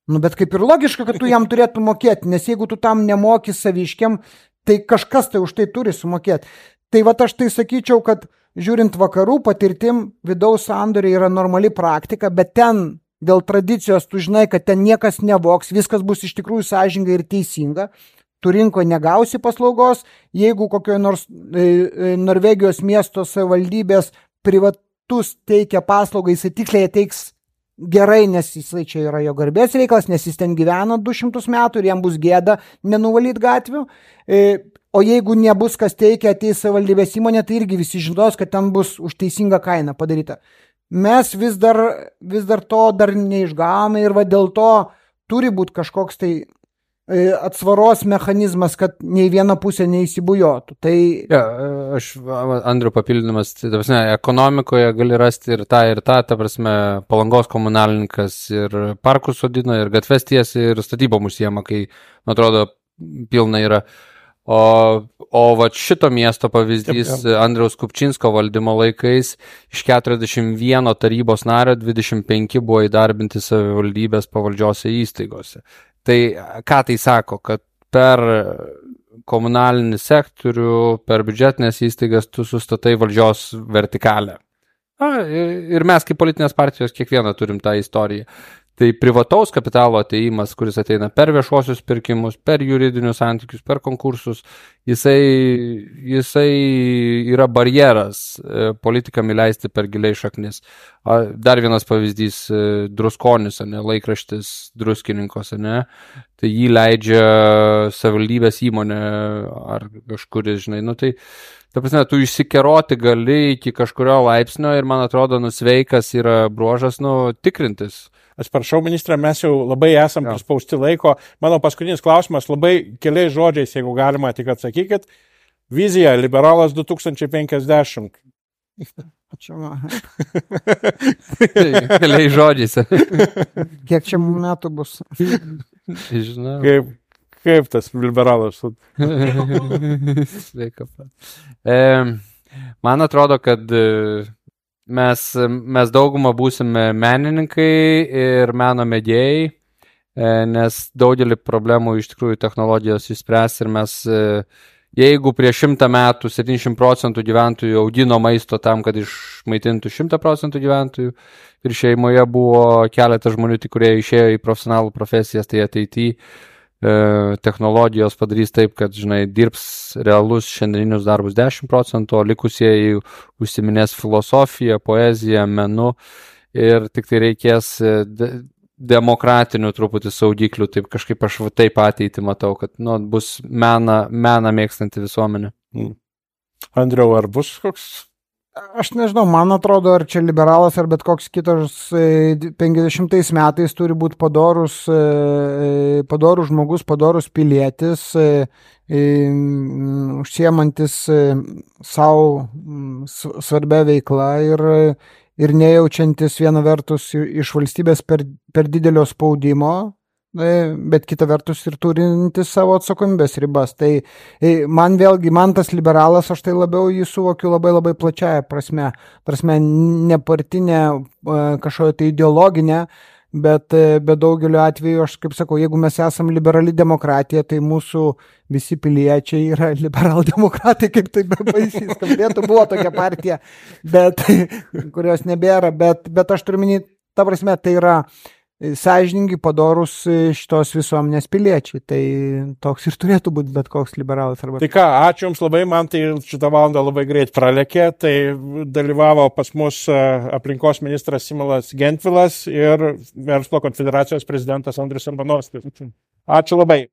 Nu, bet kaip ir logiška, kad tu jam turėtų mokėti, nes jeigu tu tam nemoki saviškiam, tai kažkas tai už tai turi sumokėti. Tai va aš tai sakyčiau, kad žiūrint vakarų patirtim, vidaus sandoriai yra normali praktika, bet ten dėl tradicijos tu žinai, kad ten niekas nevoks, viskas bus iš tikrųjų sąžininga ir teisinga, tu rinkoje negausi paslaugos, jeigu kokioje nors e, Norvegijos miesto savivaldybės privatus teikia paslaugą, jisai tiksliai teiks gerai, nes jisai čia yra jo garbės reikalas, nes jis ten gyvena du šimtus metų ir jam bus gėda nenuvalyti gatvių. E, o jeigu nebus kas teikia, ateis savivaldybės įmonė, tai irgi visi žinos, kad ten bus už teisingą kainą padaryta. Mes vis dar, vis dar to dar neišgavome ir va dėl to turi būti kažkoks tai atsvaros mechanizmas, kad nei viena pusė neįsibujotų. Tai... Ja, aš, Andriu, papildymas, tai, ta prasme, ekonomikoje gali rasti ir tą, ir tą, ta prasme, Palangos komunalininkas ir parkus sodina, ir gatves tiesi, ir statybom užsiema, kai, man atrodo, pilna yra. O, o va šito miesto pavyzdys taip, taip. Andriaus Kupčinsko valdymo laikais iš keturiasdešimt vieno tarybos nario dvidešimt penki buvo įdarbinti savivaldybės pavaldžiose įstaigose. Tai ką tai sako, kad per komunalinį sektorių, per biudžetinės įstaigas tu sustatai valdžios vertikalę. A, ir mes kaip politinės partijos kiekvieną turim tą istoriją. Tai privataus kapitalo ateimas, kuris ateina per viešuosius pirkimus, per juridinius santykius, per konkursus, jisai, jisai yra barjeras politikam įleisti per giliai šaknis. Dar vienas pavyzdys, Druskonis, ne, laikraštis Druskininkose, ne, tai jį leidžia savivaldybės įmonė ar kažkuris, žinai, nu tai, ta prasme, tu išsikeroti gali iki kažkurio laipsnio ir, man atrodo, nusveikas yra bruožas, nu, tikrintis. Atsiprašau, ministrė, mes jau labai esam prispausti laiko. Mano paskutinis klausimas, labai keliais žodžiais, jeigu galima, tik atsakykit. Vizija, liberalas du tūkstančiai penkiasdešimt. Ačiū, man. Keliais žodžiais. Kiek čia metų bus? Žinau. Kaip, kaip tas liberalas? Sveika. E, man atrodo, kad... Mes, mes daugumą būsime menininkai ir meno mėgėjai, nes daugelį problemų iš tikrųjų technologijos išspręs ir mes, jeigu prieš šimtą metų septyniasdešimt procentų gyventojų augino maisto tam, kad išmaitintų šimtą procentų gyventojų ir šeimoje buvo keletas žmonių, kurie išėjo į profesionalų profesijas, tai ateityje technologijos padarys taip, kad, žinai, dirbs realus šiandieninius darbus dešimt procentų, o likusieji užsiminės filosofiją, poeziją, menu ir tik tai reikės de- demokratinių truputį saugiklių, taip kažkaip aš taip ateitį matau, kad nu, bus mena, mena mėgstanti visuomenė. Mm. Andriau, ar bus koks? Aš nežinau, man atrodo, ar čia liberalas, ar bet koks kitas penkiasdešimtais metais turi būti padorus, padorus žmogus, padorus pilietis, užsiemantis savo svarbia veikla ir, ir nejaučiantis viena vertus iš valstybės per, per didelio spaudimo, bet kita vertus ir turintis savo atsakomybės ribas. Tai man vėlgi, man tas liberalas, aš tai labiau jį suvokiu labai labai plačiaja prasme, prasme nepartinė, kažkokia tai ideologinė, bet, bet daugeliu atveju, aš kaip sakau, jeigu mes esam liberali demokratija, tai mūsų visi piliečiai yra liberaldemokratai, kaip tai baisiai skambėtų, buvo tokia partija, bet, kurios nebėra, bet, bet aš turiu minėti, ta prasme, tai yra sąžiningi, padorus šitos visuomenės piliečiai. Tai toks ir turėtų būti bet koks liberalas. Arba... Tai ką, ačiū Jums labai, man tai šitą valandą labai greit pralekė. Tai dalyvavo pas mus aplinkos ministras Simonas Gentvilas ir Verslo konfederacijos prezidentas Andrius Arbanovskis. Ačiū labai.